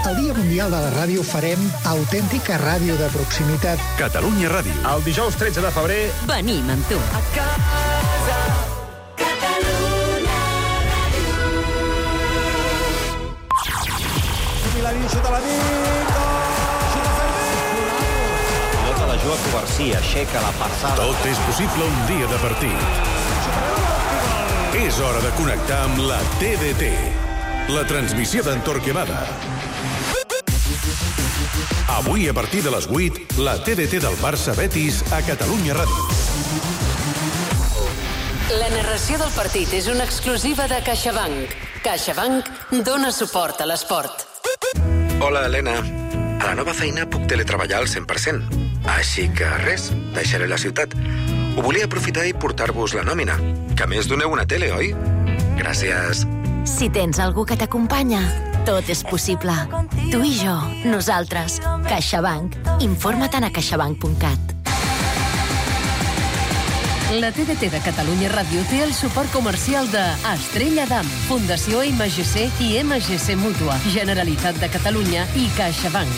El Dia Mundial de la Ràdio farem autèntica ràdio de proximitat. Catalunya Ràdio. El dijous tretze de febrer venim amb tu. A casa, Catalunya Ràdio. Milanín, xuta la nit, xuta Fermín! Pilota la juga Covarsí, aixeca la passada. Tot és possible un dia de partit. És hora de connectar amb la T D T. La transmissió d'en Torquemada. Avui, a partir de les vuit, la T D T del Barça Betis a Catalunya Ràdio. La narració del partit és una exclusiva de CaixaBank. CaixaBank dona suport a l'esport. Hola, Helena. A la nova feina puc teletreballar al cent per cent. Així que res, deixaré la ciutat. Ho volia aprofitar i portar-vos la nòmina. Que a més doneu una tele, oi? Gràcies. Si tens algú que t'acompanya, tot és possible. Tu i jo, nosaltres. CaixaBank. Informa-te'n a caixabank punt cat. La T D T de Catalunya Ràdio té el suport comercial de Estrella Damm, Fundació M G C i M G C Mútua, Generalitat de Catalunya i CaixaBank.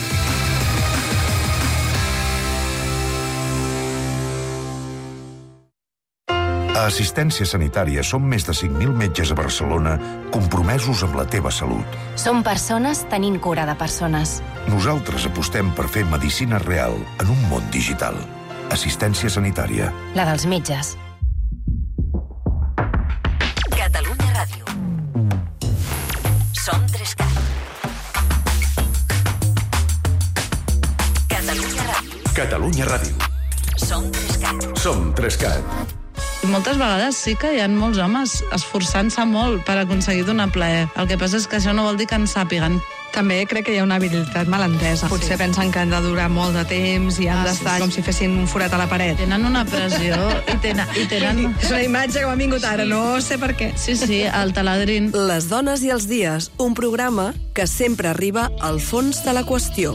A Assistència Sanitària som més de cinc mil metges a Barcelona compromesos amb la teva salut. Som persones tenint cura de persones. Nosaltres apostem per fer medicina real en un món digital. Assistència Sanitària. La dels metges. Catalunya Ràdio. Som Trescat. Catalunya Ràdio. Catalunya Ràdio. Som Trescat. Som Trescat. Moltes vegades sí que hi ha molts homes esforçant-se molt per aconseguir donar plaer. El que passa és que això no vol dir que en sàpiguen. També crec que hi ha una habilitat malentesa. Potser sí. pensen que han de durar molt de temps i han ah, d'estar sí. com si fessin un forat a la paret. Tenen una pressió i tenen... I tenen... És una imatge que m'ha vingut ara, sí. no sé per què. Sí, sí, el taladrin. Les dones i els dies, un programa que sempre arriba al fons de la qüestió.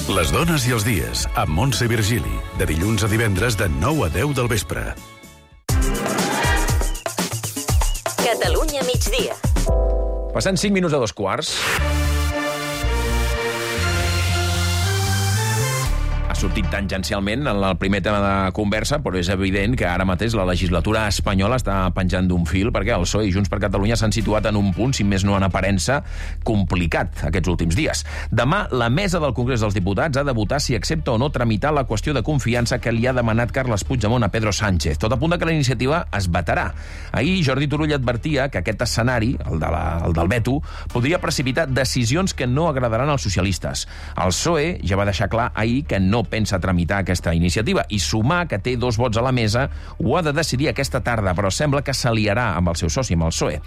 Les dones i els dies, amb Montse Virgili, de dilluns a divendres de nou a deu del vespre. Catalunya migdia. Passant cinc minuts a dos quarts. Ha sortit tangencialment en el primer tema de conversa, però és evident que ara mateix la legislatura espanyola està penjant d'un fil perquè el P S O E i Junts per Catalunya s'han situat en un punt, si més no en aparença, complicat aquests últims dies. Demà, la mesa del Congrés dels Diputats ha de votar si accepta o no tramitar la qüestió de confiança que li ha demanat Carles Puigdemont a Pedro Sánchez. Tot apunta que la iniciativa es vetarà. Ahir Jordi Turull advertia que aquest escenari, el, de la, el del veto, podria precipitar decisions que no agradaran als socialistes. El P S O E ja va deixar clar ahir que no pensa tramitar aquesta iniciativa i sumar que té dos vots a la mesa ho ha de decidir aquesta tarda, però sembla que s'aliarà amb el seu soci, amb el P S O E.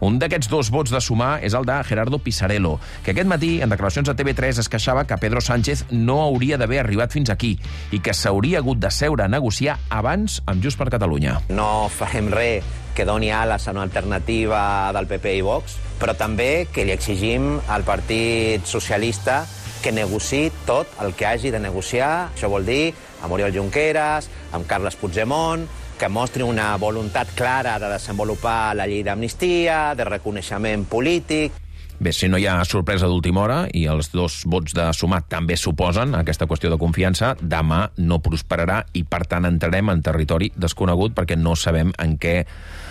Un d'aquests dos vots de sumar és el de Gerardo Pisarello, que aquest matí, en declaracions a T V tres, es queixava que Pedro Sánchez no hauria d'haver arribat fins aquí i que s'hauria hagut de seure a negociar abans amb Junts per Catalunya. No farem res que doni ales a una alternativa del P P i Vox, però també que li exigim al Partit Socialista que negociï tot el que hagi de negociar. Això vol dir amb Oriol Junqueras, amb Carles Puigdemont, que mostri una voluntat clara de desenvolupar la llei d'amnistia, de reconeixement polític. Bé, si no hi ha sorpresa d'última hora i els dos vots de sumar també suposen aquesta qüestió de confiança, demà no prosperarà i, per tant, entrarem en territori desconegut perquè no sabem en què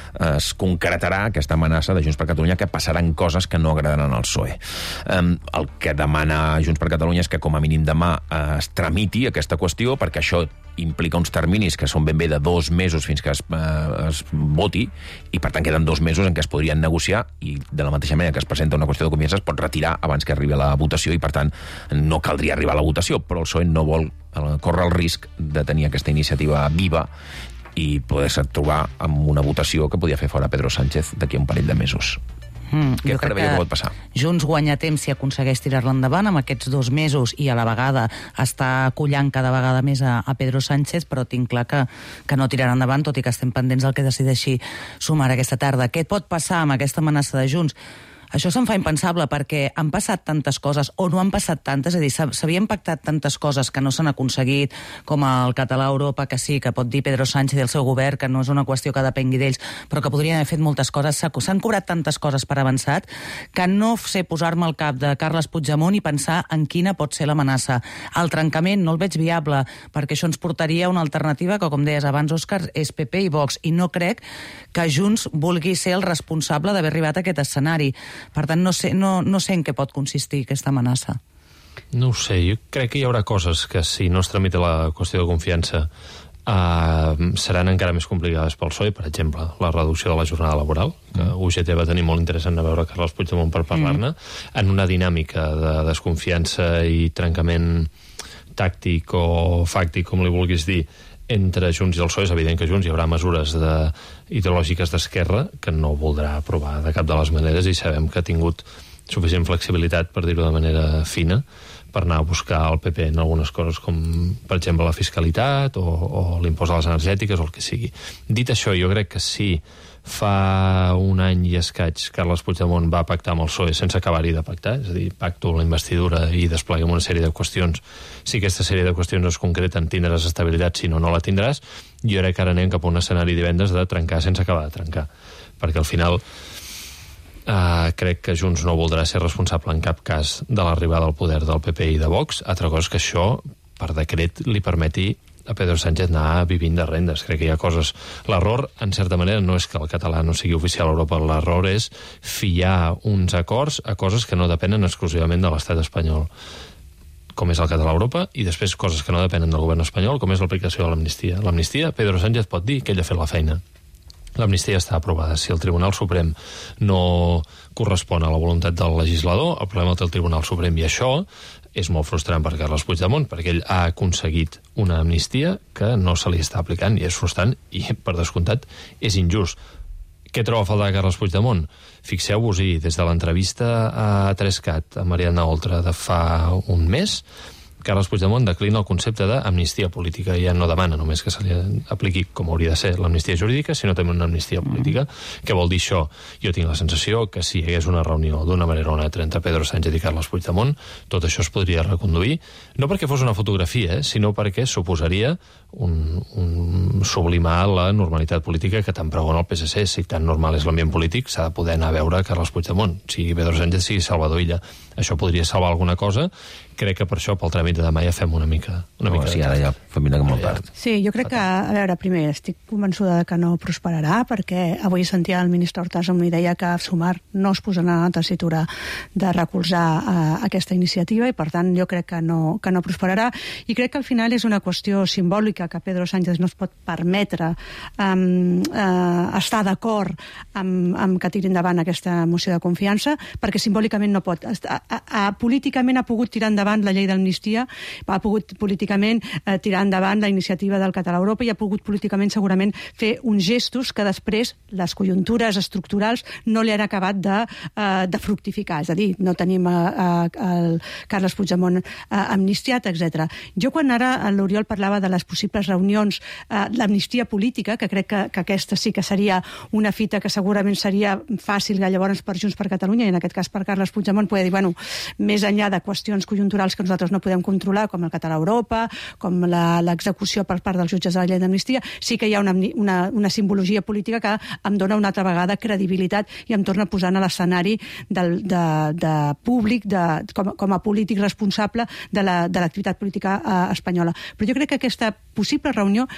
es concretarà aquesta amenaça de Junts per Catalunya, que passaran coses que no agradaran al P S O E. Um, el que demana Junts per Catalunya és que com a mínim demà uh, es tramiti aquesta qüestió, perquè això implica uns terminis que són ben bé de dos mesos fins que es, uh, es voti, i per tant queden dos mesos en què es podrien negociar, i de la mateixa manera que es presenta una qüestió de confiança es pot retirar abans que arribi a la votació, i per tant no caldria arribar a la votació, però el P S O E no vol uh, córrer el risc de tenir aquesta iniciativa viva i poder-se trobar amb una votació que podia fer fora Pedro Sánchez d'aquí a un parell de mesos. Mm, Què preveia que pot passar? Junts guanya temps si aconsegueix tirar-la endavant amb aquests dos mesos i a la vegada està collant cada vegada més a, a Pedro Sánchez, però tinc clar que, que no tirarà endavant, tot i que estem pendents del que decideixi sumar aquesta tarda. Què pot passar amb aquesta amenaça de Junts? Això se'm fa impensable perquè han passat tantes coses o no han passat tantes, és a dir, s'havien pactat tantes coses que no s'han aconseguit, com el català a Europa, que sí, que pot dir Pedro Sánchez i el seu govern, que no és una qüestió que depengui d'ells, però que podrien haver fet moltes coses. S'han cobrat tantes coses per avançat que no sé posar-me al cap de Carles Puigdemont i pensar en quina pot ser l'amenaça. El trencament no el veig viable, perquè això ens portaria a una alternativa que, com deies abans, Òscar, és P P i Vox, i no crec que Junts vulgui ser el responsable d'haver arribat a aquest escenari. Per tant, no sé, no, no sé en què pot consistir aquesta amenaça. No ho sé, jo crec que hi haurà coses que si no es tramita la qüestió de confiança uh, seran encara més complicades pel P S O E, per exemple, la reducció de la jornada laboral, que U G T va tenir molt interès en veure Carles Puigdemont per parlar-ne, mm. en una dinàmica de desconfiança i trencament tàctic o fàctic, com li vulguis dir, entre Junts i el P S O E. És evident que Junts hi haurà mesures de, ideològiques d'esquerra que no voldrà aprovar de cap de les maneres, i sabem que ha tingut suficient flexibilitat, per dir-ho de manera fina, per anar a buscar el P P en algunes coses com, per exemple, la fiscalitat o, o l'impost a les energètiques o el que sigui. Dit això, jo crec que sí, fa un any i escaig Carles Puigdemont va pactar amb el P S O E sense acabar-hi de pactar, és a dir, pacto la investidura i despleguem una sèrie de qüestions. Si aquesta sèrie de qüestions es concreten, tindràs estabilitat, si no, no la tindràs. Jo crec que ara anem cap a un escenari divendres de trencar sense acabar de trencar, perquè al final Uh, crec que Junts no voldrà ser responsable en cap cas de l'arribada al poder del P P i de Vox. Altra cosa és que això, per decret, li permeti a Pedro Sánchez anar vivint de rendes. Crec que hi ha coses... L'error, en certa manera, no és que el català no sigui oficial a Europa, l'error és fiar uns acords a coses que no depenen exclusivament de l'estat espanyol, com és el català a Europa, i després coses que no depenen del govern espanyol, com és l'aplicació de l'amnistia. L'amnistia, Pedro Sánchez pot dir que ell ha fet la feina. L'amnistia està aprovada. Si el Tribunal Suprem no correspon a la voluntat del legislador, el problema el té el Tribunal Suprem, i això és molt frustrant per Carles Puigdemont, perquè ell ha aconseguit una amnistia que no se li està aplicant, i és frustrant, i per descomptat és injust. Què troba a faltar Carles Puigdemont? Fixeu-vos-hi, des de l'entrevista a Trescat, a Mariana Oltra, de fa un mes, Carles Puigdemont declina el concepte d'amnistia política i ja no demana només que se li apliqui com hauria de ser l'amnistia jurídica, sinó també una amnistia política. Mm. Què vol dir això? Jo tinc la sensació que si hi hagués una reunió d'una manera o una altra entre Pedro Sánchez i Carles Puigdemont, tot això es podria reconduir, no perquè fos una fotografia, eh, sinó perquè suposaria un, un sublimar la normalitat política que tant pregona el P S C. Si tan normal és l'ambient polític, s'ha de poder anar a veure Carles Puigdemont, sigui Pedro Sánchez, sigui Salvador Illa. Això podria salvar alguna cosa. Crec que per això, pel tràmit de demà, ja fem una mica... Una no, mica sí, ara ja família molt tard. Sí, jo crec que, a veure, primer, estic convençuda que no prosperarà, perquè avui sentia el ministre Hortas amb una idea que Sumar no es posarà en la tessitura de recolzar uh, aquesta iniciativa, i per tant jo crec que no, que no prosperarà, i crec que al final és una qüestió simbòlica que Pedro Sánchez no es pot permetre um, uh, estar d'acord amb, amb que tiri endavant aquesta moció de confiança, perquè simbòlicament no pot. A, a, a, políticament ha pogut tirar endavant la llei d'amnistia, ha pogut políticament eh, tirar endavant la iniciativa del català a Europa, i ha pogut políticament segurament fer uns gestos que després les conjuntures estructurals no li han acabat de, eh, de fructificar, és a dir, no tenim eh, eh, el Carles Puigdemont eh, amnistiat, etcètera. Jo quan ara l'Oriol parlava de les possibles reunions, eh, l'amnistia política, que crec que, que aquesta sí que seria una fita que segurament seria fàcil llavors per Junts per Catalunya, i en aquest cas per Carles Puigdemont, poder dir, bueno, més enllà de qüestions conjunturals que nosaltres no podem controlar, com el català a Europa, com l'execució per part dels jutges de la llei d'amnistia, sí que hi ha una, una, una simbologia política que em dona una altra vegada credibilitat i em torna posant a l'escenari del de, de públic, de, com, com a polític responsable de l'activitat la, política eh, espanyola. Però jo crec que aquesta possible reunió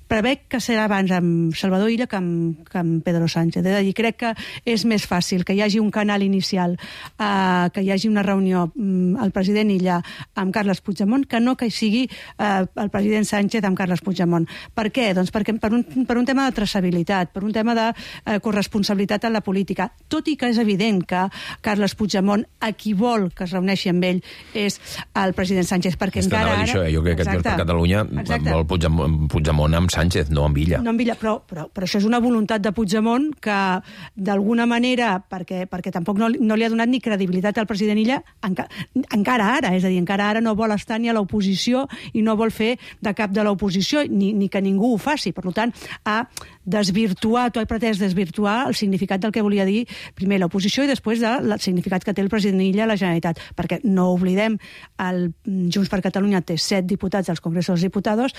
prevec que serà abans amb Salvador Illa que amb, que amb Pedro Sánchez. És a dir, crec que és més fàcil que hi hagi un canal inicial, eh, que hi hagi una reunió mm, el president Illa amb Carles Puigdemont, que no que hi sigui eh, el president Sánchez amb Carles Puigdemont. Per què? Doncs perquè per un, per un tema de traçabilitat, per un tema de eh, corresponsabilitat en la política. Tot i que és evident que Carles Puigdemont, a qui vol que es reuneixi amb ell, és el president Sánchez, perquè és encara ara... Això, eh? Jo crec que Junts per Catalunya vol Puigdemont, Puigdemont amb Sánchez, no amb Illa. No amb Illa, però, però, però això és una voluntat de Puigdemont que, d'alguna manera, perquè, perquè tampoc no, no li ha donat ni credibilitat al president Illa, enca, encara ara, és a dir, encara ara no vol estar ni a l'oposició i no vol fer de cap de l'oposició, ni, ni que ningú ho faci. Per tant, ha desvirtuat o ha pretès desvirtuar el significat del que volia dir primer l'oposició i després del significat que té el president Illa a la Generalitat. Perquè no oblidem, el Junts per Catalunya té set diputats als Congressos dels Diputados,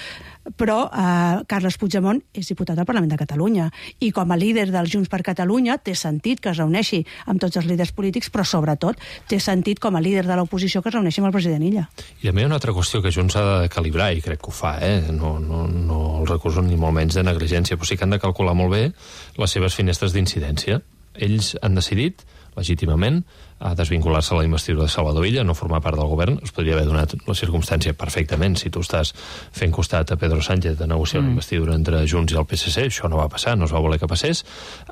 però eh, Carles Puigdemont és diputat al Parlament de Catalunya, i com a líder del Junts per Catalunya té sentit que es reuneixi amb tots els líders polítics, però sobretot té sentit com a líder de l'oposició que es reuneixi amb el president Illa. I a mi hi ha una altra qüestió que Junts ha de calibrar, i crec que ho fa, eh? no, no, no els recuso ni molt menys de negligència, però sí que han de calcular molt bé les seves finestres d'incidència. Ells han decidit, legítimament, a desvincular-se a la investidura de Salvador Illa, no formar part del govern. Es podria haver donat la circumstància perfectament si tu estàs fent costat a Pedro Sánchez de negociar mm. una investidura entre Junts i el P S C. Això no va passar, no es va voler que passés.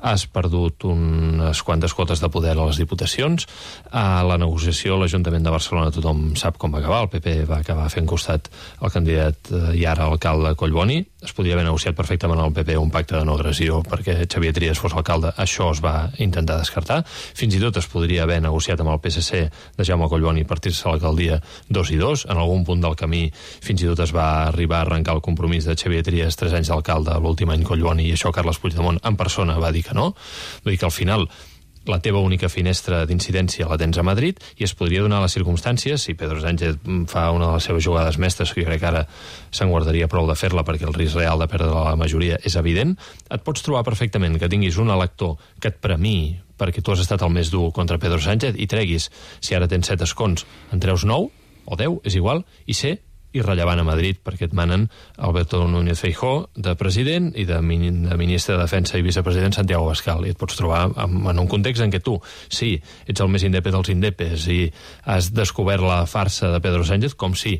Has perdut unes quantes quotes de poder a les diputacions. A la negociació a l'Ajuntament de Barcelona tothom sap com va acabar. El P P va acabar fent costat al candidat i ara alcalde Collboni. Es podria haver negociat perfectament al P P un pacte de no agressió perquè Xavier Trias fos alcalde. Això es va intentar descartar. Fins i tot es podria haver negociat negociat amb el P S C de Jaume Collboni partir-se a l'alcaldia dos i dos. En algun punt del camí fins i tot es va arribar a arrencar el compromís de Xavier Trias, tres anys d'alcalde, l'últim any Collboni, i això Carles Puigdemont en persona va dir que no. Vull dir que al final la teva única finestra d'incidència la tens a Madrid i es podria donar les circumstàncies, si Pedro Sánchez fa una de les seves jugades mestres, que jo crec que ara se'n guardaria prou de fer-la perquè el risc real de perdre la majoria és evident, et pots trobar perfectament que tinguis un elector que et premiï perquè tu has estat el més dur contra Pedro Sánchez i treguis, si ara tens set escons, en treus nou o deu, és igual, i ser irrellevant a Madrid perquè et manen Alberto Núñez Feijóo de president i de, min de ministre de Defensa i vicepresident Santiago Abascal, i et pots trobar en, en un context en què tu, sí, ets el més indepe dels indepes i has descobert la farsa de Pedro Sánchez, com si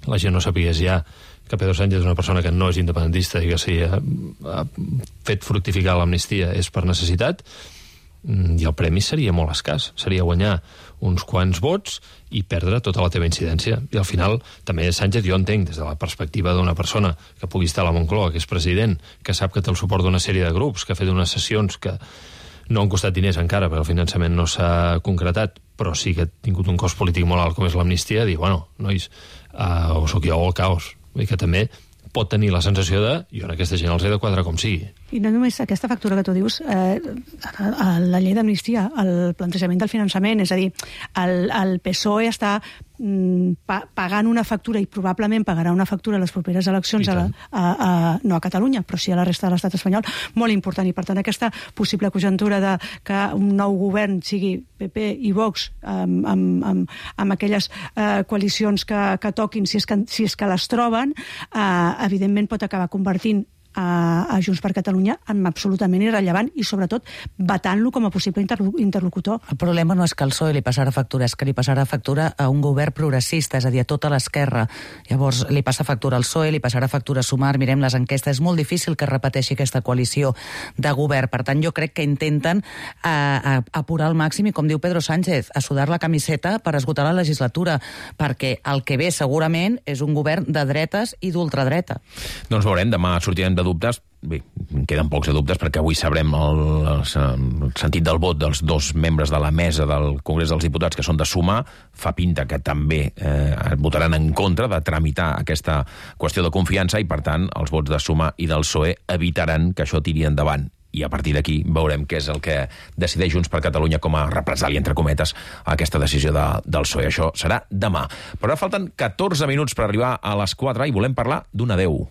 la gent no sapigués ja que Pedro Sánchez és una persona que no és independentista i que si ha, ha fet fructificar l'amnistia és per necessitat, i el premi seria molt escàs, seria guanyar uns quants vots i perdre tota la teva incidència. I al final, també Sánchez, jo entenc, des de la perspectiva d'una persona que pugui estar a la Moncloa, que és president, que sap que té el suport d'una sèrie de grups, que ha fet unes sessions que no han costat diners encara, perquè el finançament no s'ha concretat, però sí que ha tingut un cost polític molt alt com és l'amnistia, dir, bueno, nois, uh, o sóc jo o el caos. I que també pot tenir la sensació de jo en aquesta gent els he de quadrar com sigui. I no només aquesta factura que tu dius, eh, la llei d'amnistia, el plantejament del finançament, és a dir, el, el P S O E està mm, pa, pagant una factura i probablement pagarà una factura a les properes eleccions, a la, a, a, no a Catalunya, però sí a la resta de l'estat espanyol, molt important. I per tant aquesta possible conjuntura de que un nou govern sigui P P i Vox amb, amb, amb, amb aquelles eh, coalicions que, que toquin, si és que, si és que les troben, eh, evidentment pot acabar convertint a, a Junts per Catalunya en absolutament irrellevant i sobretot vetant-lo com a possible interlocutor. El problema no és que al P S O E li passarà factura, és que li passarà factura a un govern progressista, és a dir, a tota l'esquerra. Llavors li passa factura al P S O E, li passarà factura a Sumar, mirem les enquestes, és molt difícil que repeteixi aquesta coalició de govern. Per tant, jo crec que intenten a, a, apurar al màxim i, com diu Pedro Sánchez, a sudar la camiseta per esgotar la legislatura, perquè el que ve segurament és un govern de dretes i d'ultradreta. Doncs veurem, demà sortirem de dubtes. Bé, queden pocs de dubtes perquè avui sabrem el, el, el sentit del vot dels dos membres de la mesa del Congrés dels Diputats que són de Sumar. Fa pinta que també eh, votaran en contra de tramitar aquesta qüestió de confiança i, per tant, els vots de Sumar i del P S O E evitaran que això tiri endavant. I a partir d'aquí veurem què és el que decideix Junts per Catalunya com a represàlia, entre cometes, a aquesta decisió de, del P S O E. Això serà demà. Però ara falten catorze minuts per arribar a les quatre i volem parlar d'un adeu.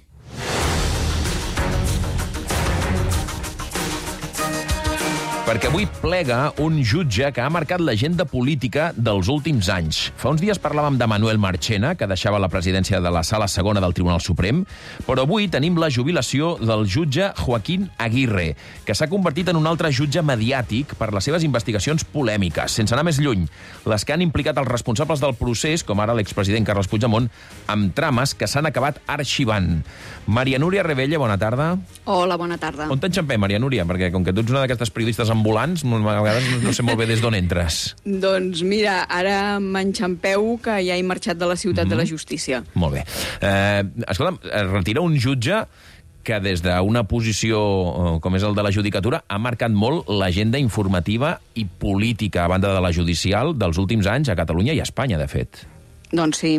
Perquè avui plega un jutge que ha marcat l'agenda política dels últims anys. Fa uns dies parlàvem de Manuel Marchena, que deixava la presidència de la Sala Segona del Tribunal Suprem, però avui tenim la jubilació del jutge Joaquín Aguirre, que s'ha convertit en un altre jutge mediàtic per les seves investigacions polèmiques. Sense anar més lluny, les que han implicat els responsables del procés, com ara l'expresident Carles Puigdemont, amb trames que s'han acabat arxivant. Maria Núria Rebella, bona tarda. Hola, bona tarda. On t'enxampem, Maria Núria? Perquè com que tu ets una d'aquestes periodistes ambulants, a vegades no sé molt bé des d'on entres. Doncs mira, ara m'enxampeu que ja he marxat de la ciutat mm-hmm. de la justícia. Molt bé. Eh, escolta'm, retira un jutge que des d'una posició com és el de la judicatura ha marcat molt l'agenda informativa i política a banda de la judicial dels últims anys a Catalunya i a Espanya, de fet. Doncs sí,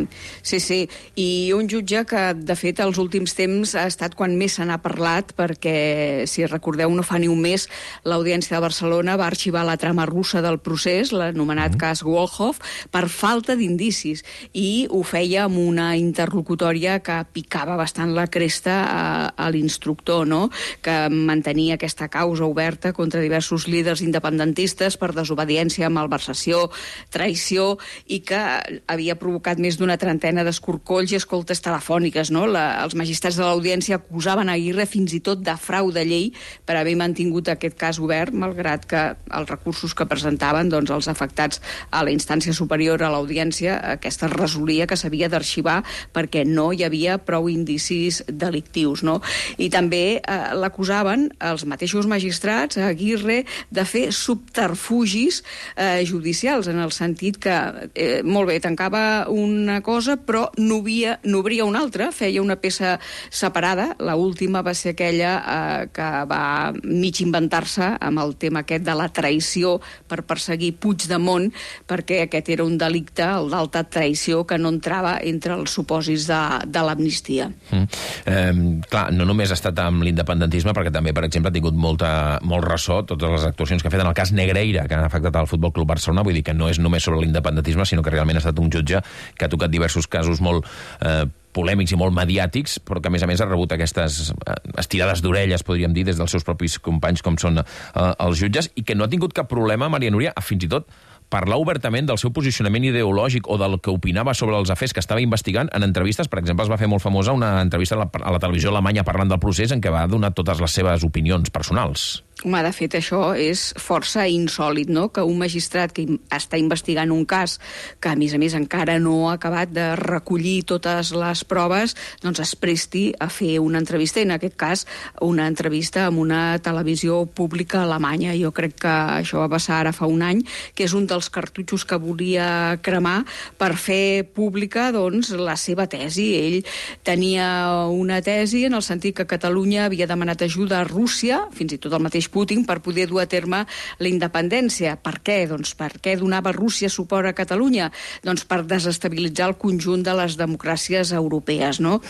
sí, sí. I un jutge que, de fet, els últims temps ha estat quan més se n'ha parlat, perquè, si recordeu, no fa ni un mes, l'Audiència de Barcelona va arxivar la trama russa del procés, l'anomenat mm. cas Volhov, per falta d'indicis, i ho feia amb una interlocutòria que picava bastant la cresta a, a l'instructor, no?, que mantenia aquesta causa oberta contra diversos líders independentistes per desobediència, malversació, traïció, i que havia provocat més d'una trentena d'escorcolls i escoltes telefòniques, no? La, els magistrats de l'Audiència acusaven Aguirre fins i tot de frau de llei per haver mantingut aquest cas obert, malgrat que els recursos que presentaven, doncs, els afectats a la instància superior a l'Audiència, aquesta resolia que s'havia d'arxivar perquè no hi havia prou indicis delictius, no? I també eh, l'acusaven els mateixos magistrats, a Aguirre, de fer subterfugis eh, judicials, en el sentit que, eh, molt bé, tancava una cosa, però n'obria una altra, feia una peça separada. L'última va ser aquella eh, que va mig inventar-se amb el tema aquest de la traïció per perseguir Puigdemont, perquè aquest era un delicte, el d'alta traïció, que no entrava entre els supòsits de, de l'amnistia. Mm. Eh, clar, no només ha estat amb l'independentisme, perquè també, per exemple, ha tingut molta, molt ressò totes les actuacions que ha fet en el cas Negreira, que han afectat al Futbol Club Barcelona. Vull dir que no és només sobre l'independentisme, sinó que realment ha estat un jutge que ha tocat diversos casos molt eh, polèmics i molt mediàtics, però que a més a més ha rebut aquestes estirades d'orelles, podríem dir, des dels seus propis companys, com són eh, els jutges, i que no ha tingut cap problema, Maria Núria, a fins i tot parlar obertament del seu posicionament ideològic o del que opinava sobre els afers que estava investigant en entrevistes. Per exemple, es va fer molt famosa una entrevista a la, a la televisió alemanya parlant del procés en què va donar totes les seves opinions personals. Home, de fet, això és força insòlid, no?, que un magistrat que està investigant un cas que, a més a més, encara no ha acabat de recollir totes les proves, doncs es presti a fer una entrevista, en aquest cas, una entrevista amb una televisió pública alemanya. Jo crec que això va passar ara fa un any, que és un dels cartutxos que volia cremar per fer pública, doncs, la seva tesi. Ell tenia una tesi en el sentit que Catalunya havia demanat ajuda a Rússia, fins i tot el mateix Putin, per poder dur a terme la independència. Per què? Doncs per què donava Rússia suport a Catalunya? Doncs per desestabilitzar el conjunt de les democràcies europees, no?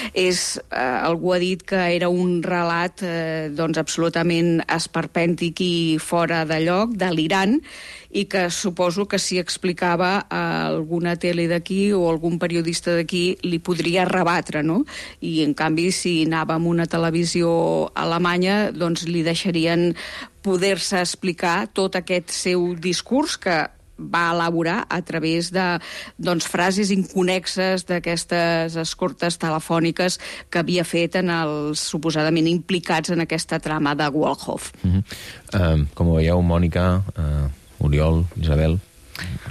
És, eh, algú ha dit que era un relat eh, doncs absolutament esperpèntic i fora de lloc, delirant, i que suposo que si explicava a alguna tele d'aquí o algun periodista d'aquí li podria rebatre, no? I en canvi, si anava amb una televisió alemanya, doncs li deixarien poder-se explicar tot aquest seu discurs que va elaborar a través de doncs, frases inconexes d'aquestes escortes telefòniques que havia fet en els suposadament implicats en aquesta trama de Wolhoff. Mm-hmm. uh, com veieu, Mònica, uh, Oriol, Isabel,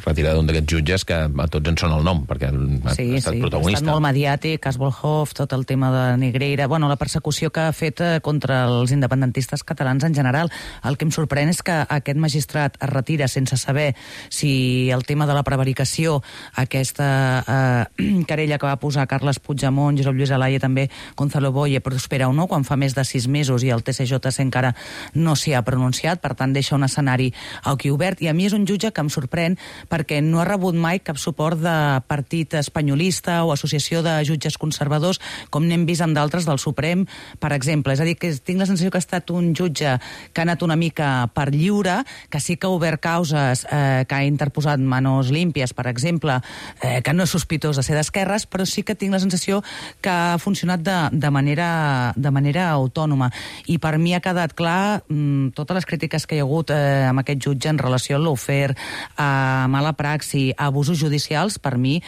retirada d'un d'aquests jutges que a tots en són el nom, perquè ha sí, estat sí, protagonista. Ha estat molt mediàtic, cas Wolhoff, tot el tema de Negreira, bueno, la persecució que ha fet contra els independentistes catalans en general. El que em sorprèn és que aquest magistrat es retira sense saber si el tema de la prevaricació, aquesta eh, querella que va posar Carles Puigdemont, Josep Lluís Alaia, també Gonzalo Boye, prospera o no, quan fa més de sis mesos i el T C J C encara no s'hi ha pronunciat, per tant deixa un escenari aquí obert, i a mi és un jutge que em sorprèn perquè no ha rebut mai cap suport de partit espanyolista o associació de jutges conservadors, com n'hem vist amb d'altres del Suprem, per exemple. És a dir, que tinc la sensació que ha estat un jutge que ha anat una mica per lliure, que sí que ha obert causes, eh, que ha interposat manos límpies, per exemple, eh, que no és sospitós de ser d'esquerres, però sí que tinc la sensació que ha funcionat de, de, manera, de manera autònoma. I per mi ha quedat clar mmm, totes les crítiques que hi ha hagut eh, amb aquest jutge en relació a l'ofer, a mala praxi, a abusos judicials, per mi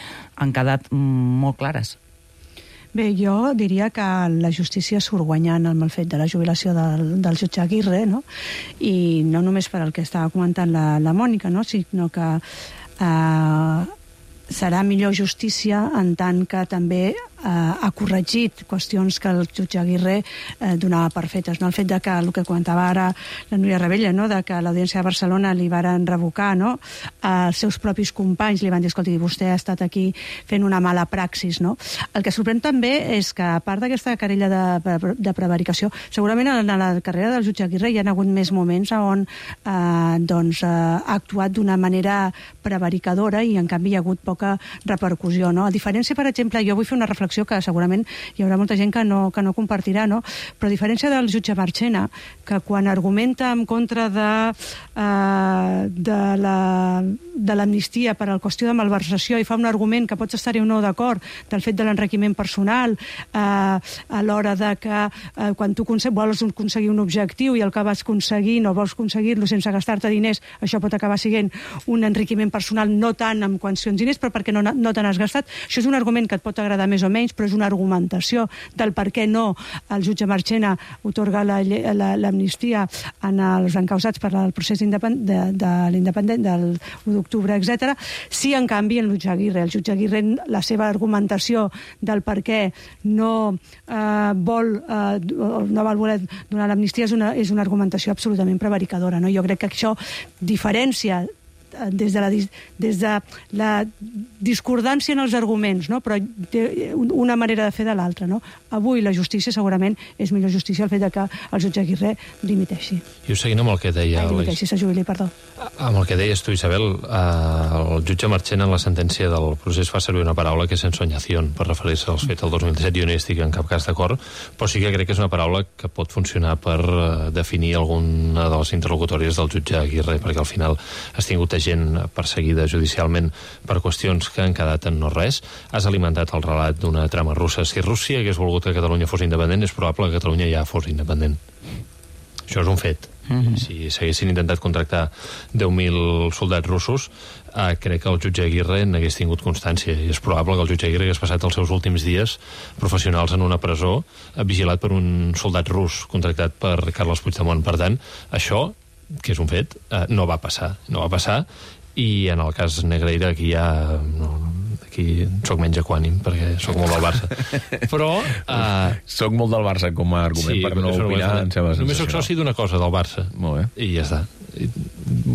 han quedat molt clares. Bé, jo diria que la justícia surt guanyant amb el fet de la jubilació del, del jutge Aguirre, no? I no només per el que estava comentant la, la Mònica, no? Sinó que eh, serà millor justícia en tant que també eh, ha corregit qüestions que el jutge Aguirre eh, donava per fetes. No? El fet de que, el que comentava ara la Núria Rebella, no? De que l'Audiència de Barcelona li varen revocar, no? Els seus propis companys li van dir, escolti, vostè ha estat aquí fent una mala praxis. No? El que sorprèn també és que, a part d'aquesta querella de, de prevaricació, segurament en la carrera del jutge Aguirre hi ha hagut més moments on eh, doncs, eh, ha actuat d'una manera prevaricadora i, en canvi, hi ha hagut poca repercussió. No? A diferència, per exemple, jo vull fer una reflexió que segurament hi haurà molta gent que no, que no compartirà, no? Però a diferència del jutge Marchena, que quan argumenta en contra de, eh, de la de l'amnistia per a la qüestió de malversació i fa un argument que pots estar-hi o no d'acord del fet de l'enriquiment personal eh, a l'hora de que eh, quan tu vols aconseguir un objectiu i el que vas aconseguir no vols aconseguir-lo sense gastar-te diners, això pot acabar sent un enriquiment personal, no tant en qüestions diners, però perquè no, no te n'has gastat. Això és un argument que et pot agradar més o menys, però és una argumentació del per què no el jutge Marchena otorga l'amnistia en els encausats per al procés de, de l'independent del u d'octubre, etcètera. Sí, en canvi, el jutge Aguirre. El jutge Aguirre, la seva argumentació del per què no eh, vol eh, no vol voler donar l'amnistia és una, és una argumentació absolutament prevaricadora. No? Jo crec que això diferència des de la, des de la discordància en els arguments, no? Però té una manera de fer de l'altra, no? Avui la justícia segurament és millor justícia el fet de que el jutge Aguirre dimiteixi. I ho seguint amb el que deia... Ai, dimiteixi, se jubili, perdó. Amb el que deies tu, Isabel, eh, el jutge Marchena en la sentència del procés fa servir una paraula que és ensoñación, per referir-se als fets del dos mil disset. Jo no hi estic en cap cas d'acord, però sí que crec que és una paraula que pot funcionar per eh, definir alguna de les interlocutòries del jutge Aguirre, perquè al final has tingut gent perseguida judicialment per qüestions que han quedat en no res. Has alimentat el relat d'una trama russa. Si Rússia hagués volgut que Catalunya fos independent, és probable que Catalunya ja fos independent. Això és un fet. Mm-hmm. Si s'haguessin intentat contractar deu mil soldats russos, eh, crec que el jutge Aguirre n'hagués tingut constància, i és probable que el jutge Aguirre hagués passat els seus últims dies professionals en una presó, eh, vigilat per un soldat rus contractat per Carles Puigdemont. Per tant, això, que és un fet, eh, no va passar. No va passar, i en el cas Negreira aquí ja... No, aquí soc menys equànim, perquè soc molt del Barça. Però... Uh, soc molt del Barça com a argument, sí, per no opinar. Només soc soci d'una cosa, del Barça. Molt bé. I ja està.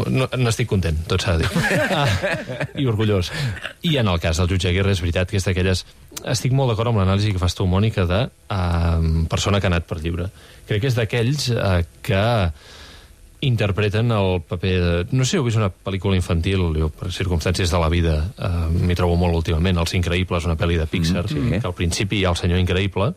No, n'estic content, tot s'ha de dir. Uh, I orgullós. I en el cas del jutge Aguirre és veritat que és d'aquelles... Estic molt d'acord amb l'anàlisi que fas tu, Mònica, de uh, persona que ha anat per lliure. Crec que és d'aquells uh, que... interpreten el paper de... No sé si heu vist una pel·lícula infantil, jo, per circumstàncies de la vida, eh, m'hi trobo molt últimament, Els Increïbles, una pel·li de Pixar, mm, sí. que al principi hi ha el senyor Increïble,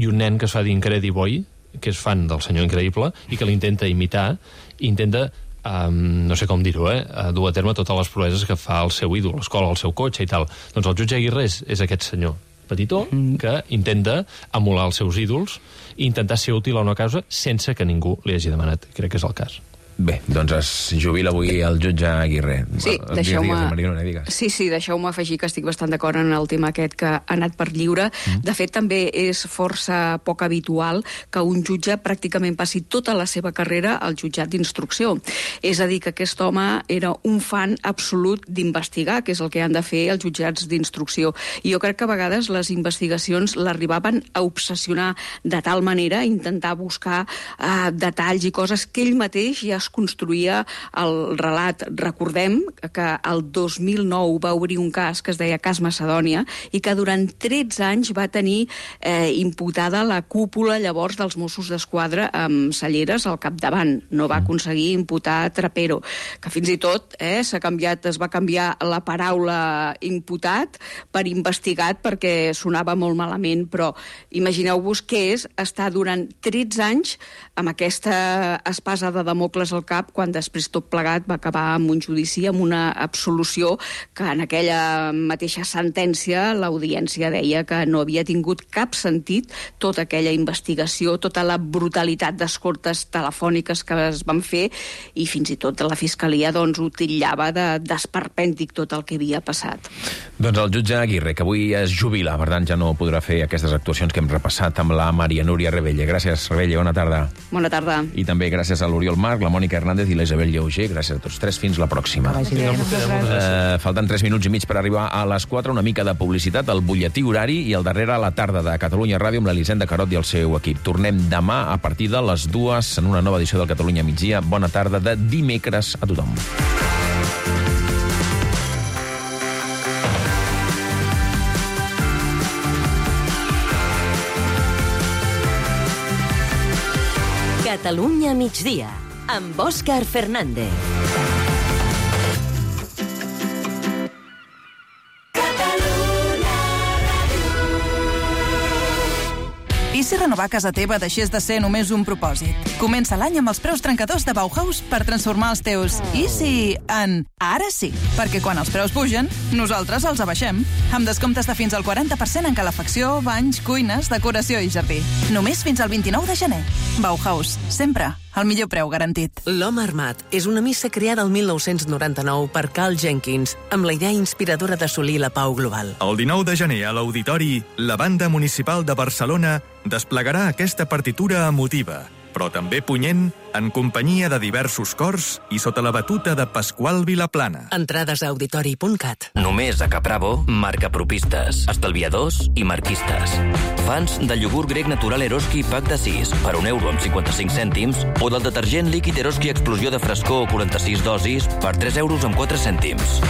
i un nen que es fa d'Incrediboy, que és fan del senyor Increïble, i que l'intenta imitar, i intenta, um, no sé com dir-ho, eh, dur a terme totes les proeses que fa el seu ídol, l'escola, el seu cotxe i tal. Doncs el jutge Aguirre és, és aquest senyor petitó que intenta emular els seus ídols i intentar ser útil a una causa sense que ningú li hagi demanat. Crec que és el cas. Bé, doncs es jubila avui el jutge Aguirre. Sí, deixeu-me sí, sí, deixeu-me afegir que estic bastant d'acord en el tema aquest que ha anat per lliure. Mm. De fet, també és força poc habitual que un jutge pràcticament passi tota la seva carrera al jutjat d'instrucció. És a dir, que aquest home era un fan absolut d'investigar, que és el que han de fer els jutjats d'instrucció. I jo crec que a vegades les investigacions l'arribaven a obsessionar de tal manera, a intentar buscar eh, detalls i coses que ell mateix ja es construïa el relat. Recordem que el dos mil nou va obrir un cas que es deia Cas Macedònia i que durant tretze anys va tenir eh, imputada la cúpula llavors dels Mossos d'Esquadra amb Salleres al capdavant. No va aconseguir imputar Trapero, que fins i tot eh, s'ha canviat, es va canviar la paraula imputat per investigat perquè sonava molt malament, però imagineu-vos què és estar durant tretze anys amb aquesta espasa de Damocles al cap, quan després tot plegat va acabar amb un judici, amb una absolució que en aquella mateixa sentència l'audiència deia que no havia tingut cap sentit tota aquella investigació, tota la brutalitat d'escortes telefòniques que es van fer, i fins i tot la Fiscalia doncs, ho titllava de d'esperpèntic tot el que havia passat. Doncs el jutge Aguirre, que avui es jubila, per tant ja no podrà fer aquestes actuacions que hem repassat amb la Maria Núria Rebelle. Gràcies, Rebelle, bona tarda. Bona tarda. I també gràcies a l'Oriol Marc, la Mònica Hernández i la Isabel Lleuger. Gràcies a tots tres. Fins la pròxima. Uh, falten tres minuts i mig per arribar a les quatre. Una mica de publicitat, el butlletí horari i el darrere a la tarda de Catalunya Ràdio amb l'Elisenda Carot i el seu equip. Tornem demà a partir de les dues en una nova edició del Catalunya Migdia. Bona tarda de dimecres a tothom. Catalunya migdia, amb Òscar Fernández. I si renovar casa teva deixés de ser només un propòsit? Comença l'any amb els preus trencadors de Bauhaus per transformar els teus i si en ara sí. Perquè quan els preus pugen, nosaltres els abaixem. Amb descomptes de fins al quaranta per cent en calefacció, banys, cuines, decoració i jardí. Només fins al vint-i-nou de gener. Bauhaus, sempre el millor preu garantit. L'Home Armat és una missa creada el mil nou-cents noranta-nou per Carl Jenkins, amb la idea inspiradora d'assolir la pau global. El dinou de gener a l'Auditori, la Banda Municipal de Barcelona desplegarà aquesta partitura emotiva. però també punyent, en companyia de diversos cors i sota la batuta de Pasqual Vilaplana. Entrades a auditori punt cat. Només a Capravo, marca propistes, estalviadors i marquistes. Fans del iogurt grec natural Eroski pack de sis per un euro amb cinquanta-cinc cèntims o del detergent líquid Eroski Explosió de frescor quaranta-sis dosis per tres euros amb quatre cèntims.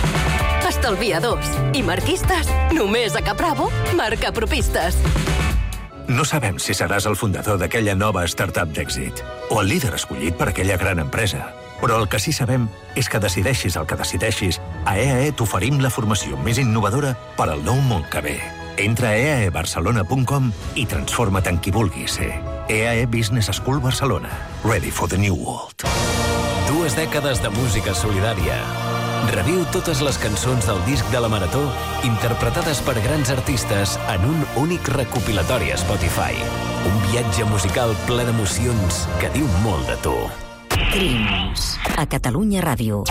Estalviadors i marquistes, només a Capravo, marca propistes. No sabem si seràs el fundador d'aquella nova startup d'èxit o el líder escollit per aquella gran empresa. Però el que sí sabem és que decideixis el que decideixis, a E A E t'oferim la formació més innovadora per al nou món que ve. Entra a e a e barcelona punt com i transforma't en qui vulguis ser. E A E Business School Barcelona. Ready for the new world. Dues dècades de música solidària. Reviu totes les cançons del disc de la Marató interpretades per grans artistes en un únic recopilatori a Spotify. Un viatge musical ple d'emocions que diu molt de tu. Crims, a Catalunya Ràdio.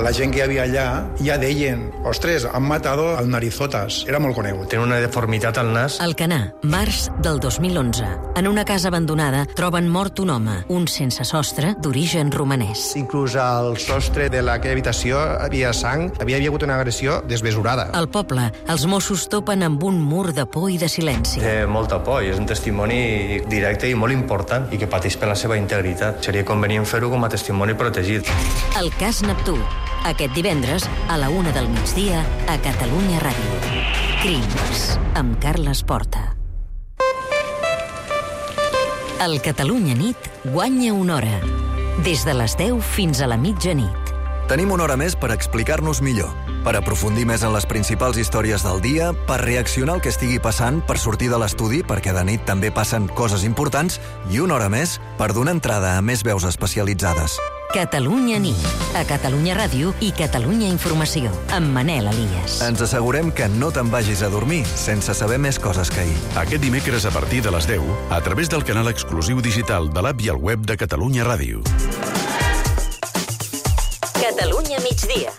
La gent que hi havia allà ja deien «Ostres, han matado al Narizotas». Era molt conegut. Té una deformitat al nas. Alcanar, març del dos mil onze. En una casa abandonada troben mort un home, un sense sostre d'origen romanès. Inclús al sostre de aquella habitació havia sang, havia hagut una agressió desmesurada. Al poble, els Mossos topen amb un mur de por i de silenci. Té molta por i és un testimoni directe i molt important i que pateix per la seva integritat. Seria convenient fer-ho com a testimoni protegit. El cas Neptú. Aquest divendres, a la una del migdia, a Catalunya Ràdio. Crims, amb Carles Porta. El Catalunya Nit guanya una hora. Des de les deu fins a la mitjanit. Tenim una hora més per explicar-nos millor, per aprofundir més en les principals històries del dia, per reaccionar al que estigui passant, per sortir de l'estudi, perquè de nit també passen coses importants, i una hora més per donar entrada a més veus especialitzades. Catalunya Nit, a Catalunya Ràdio i Catalunya Informació, amb Manel Elias. Ens assegurem que no te'n vagis a dormir sense saber més coses que ahir. Aquest dimecres a partir de les deu, a través del canal exclusiu digital de l'app i el web de Catalunya Ràdio. Catalunya migdia.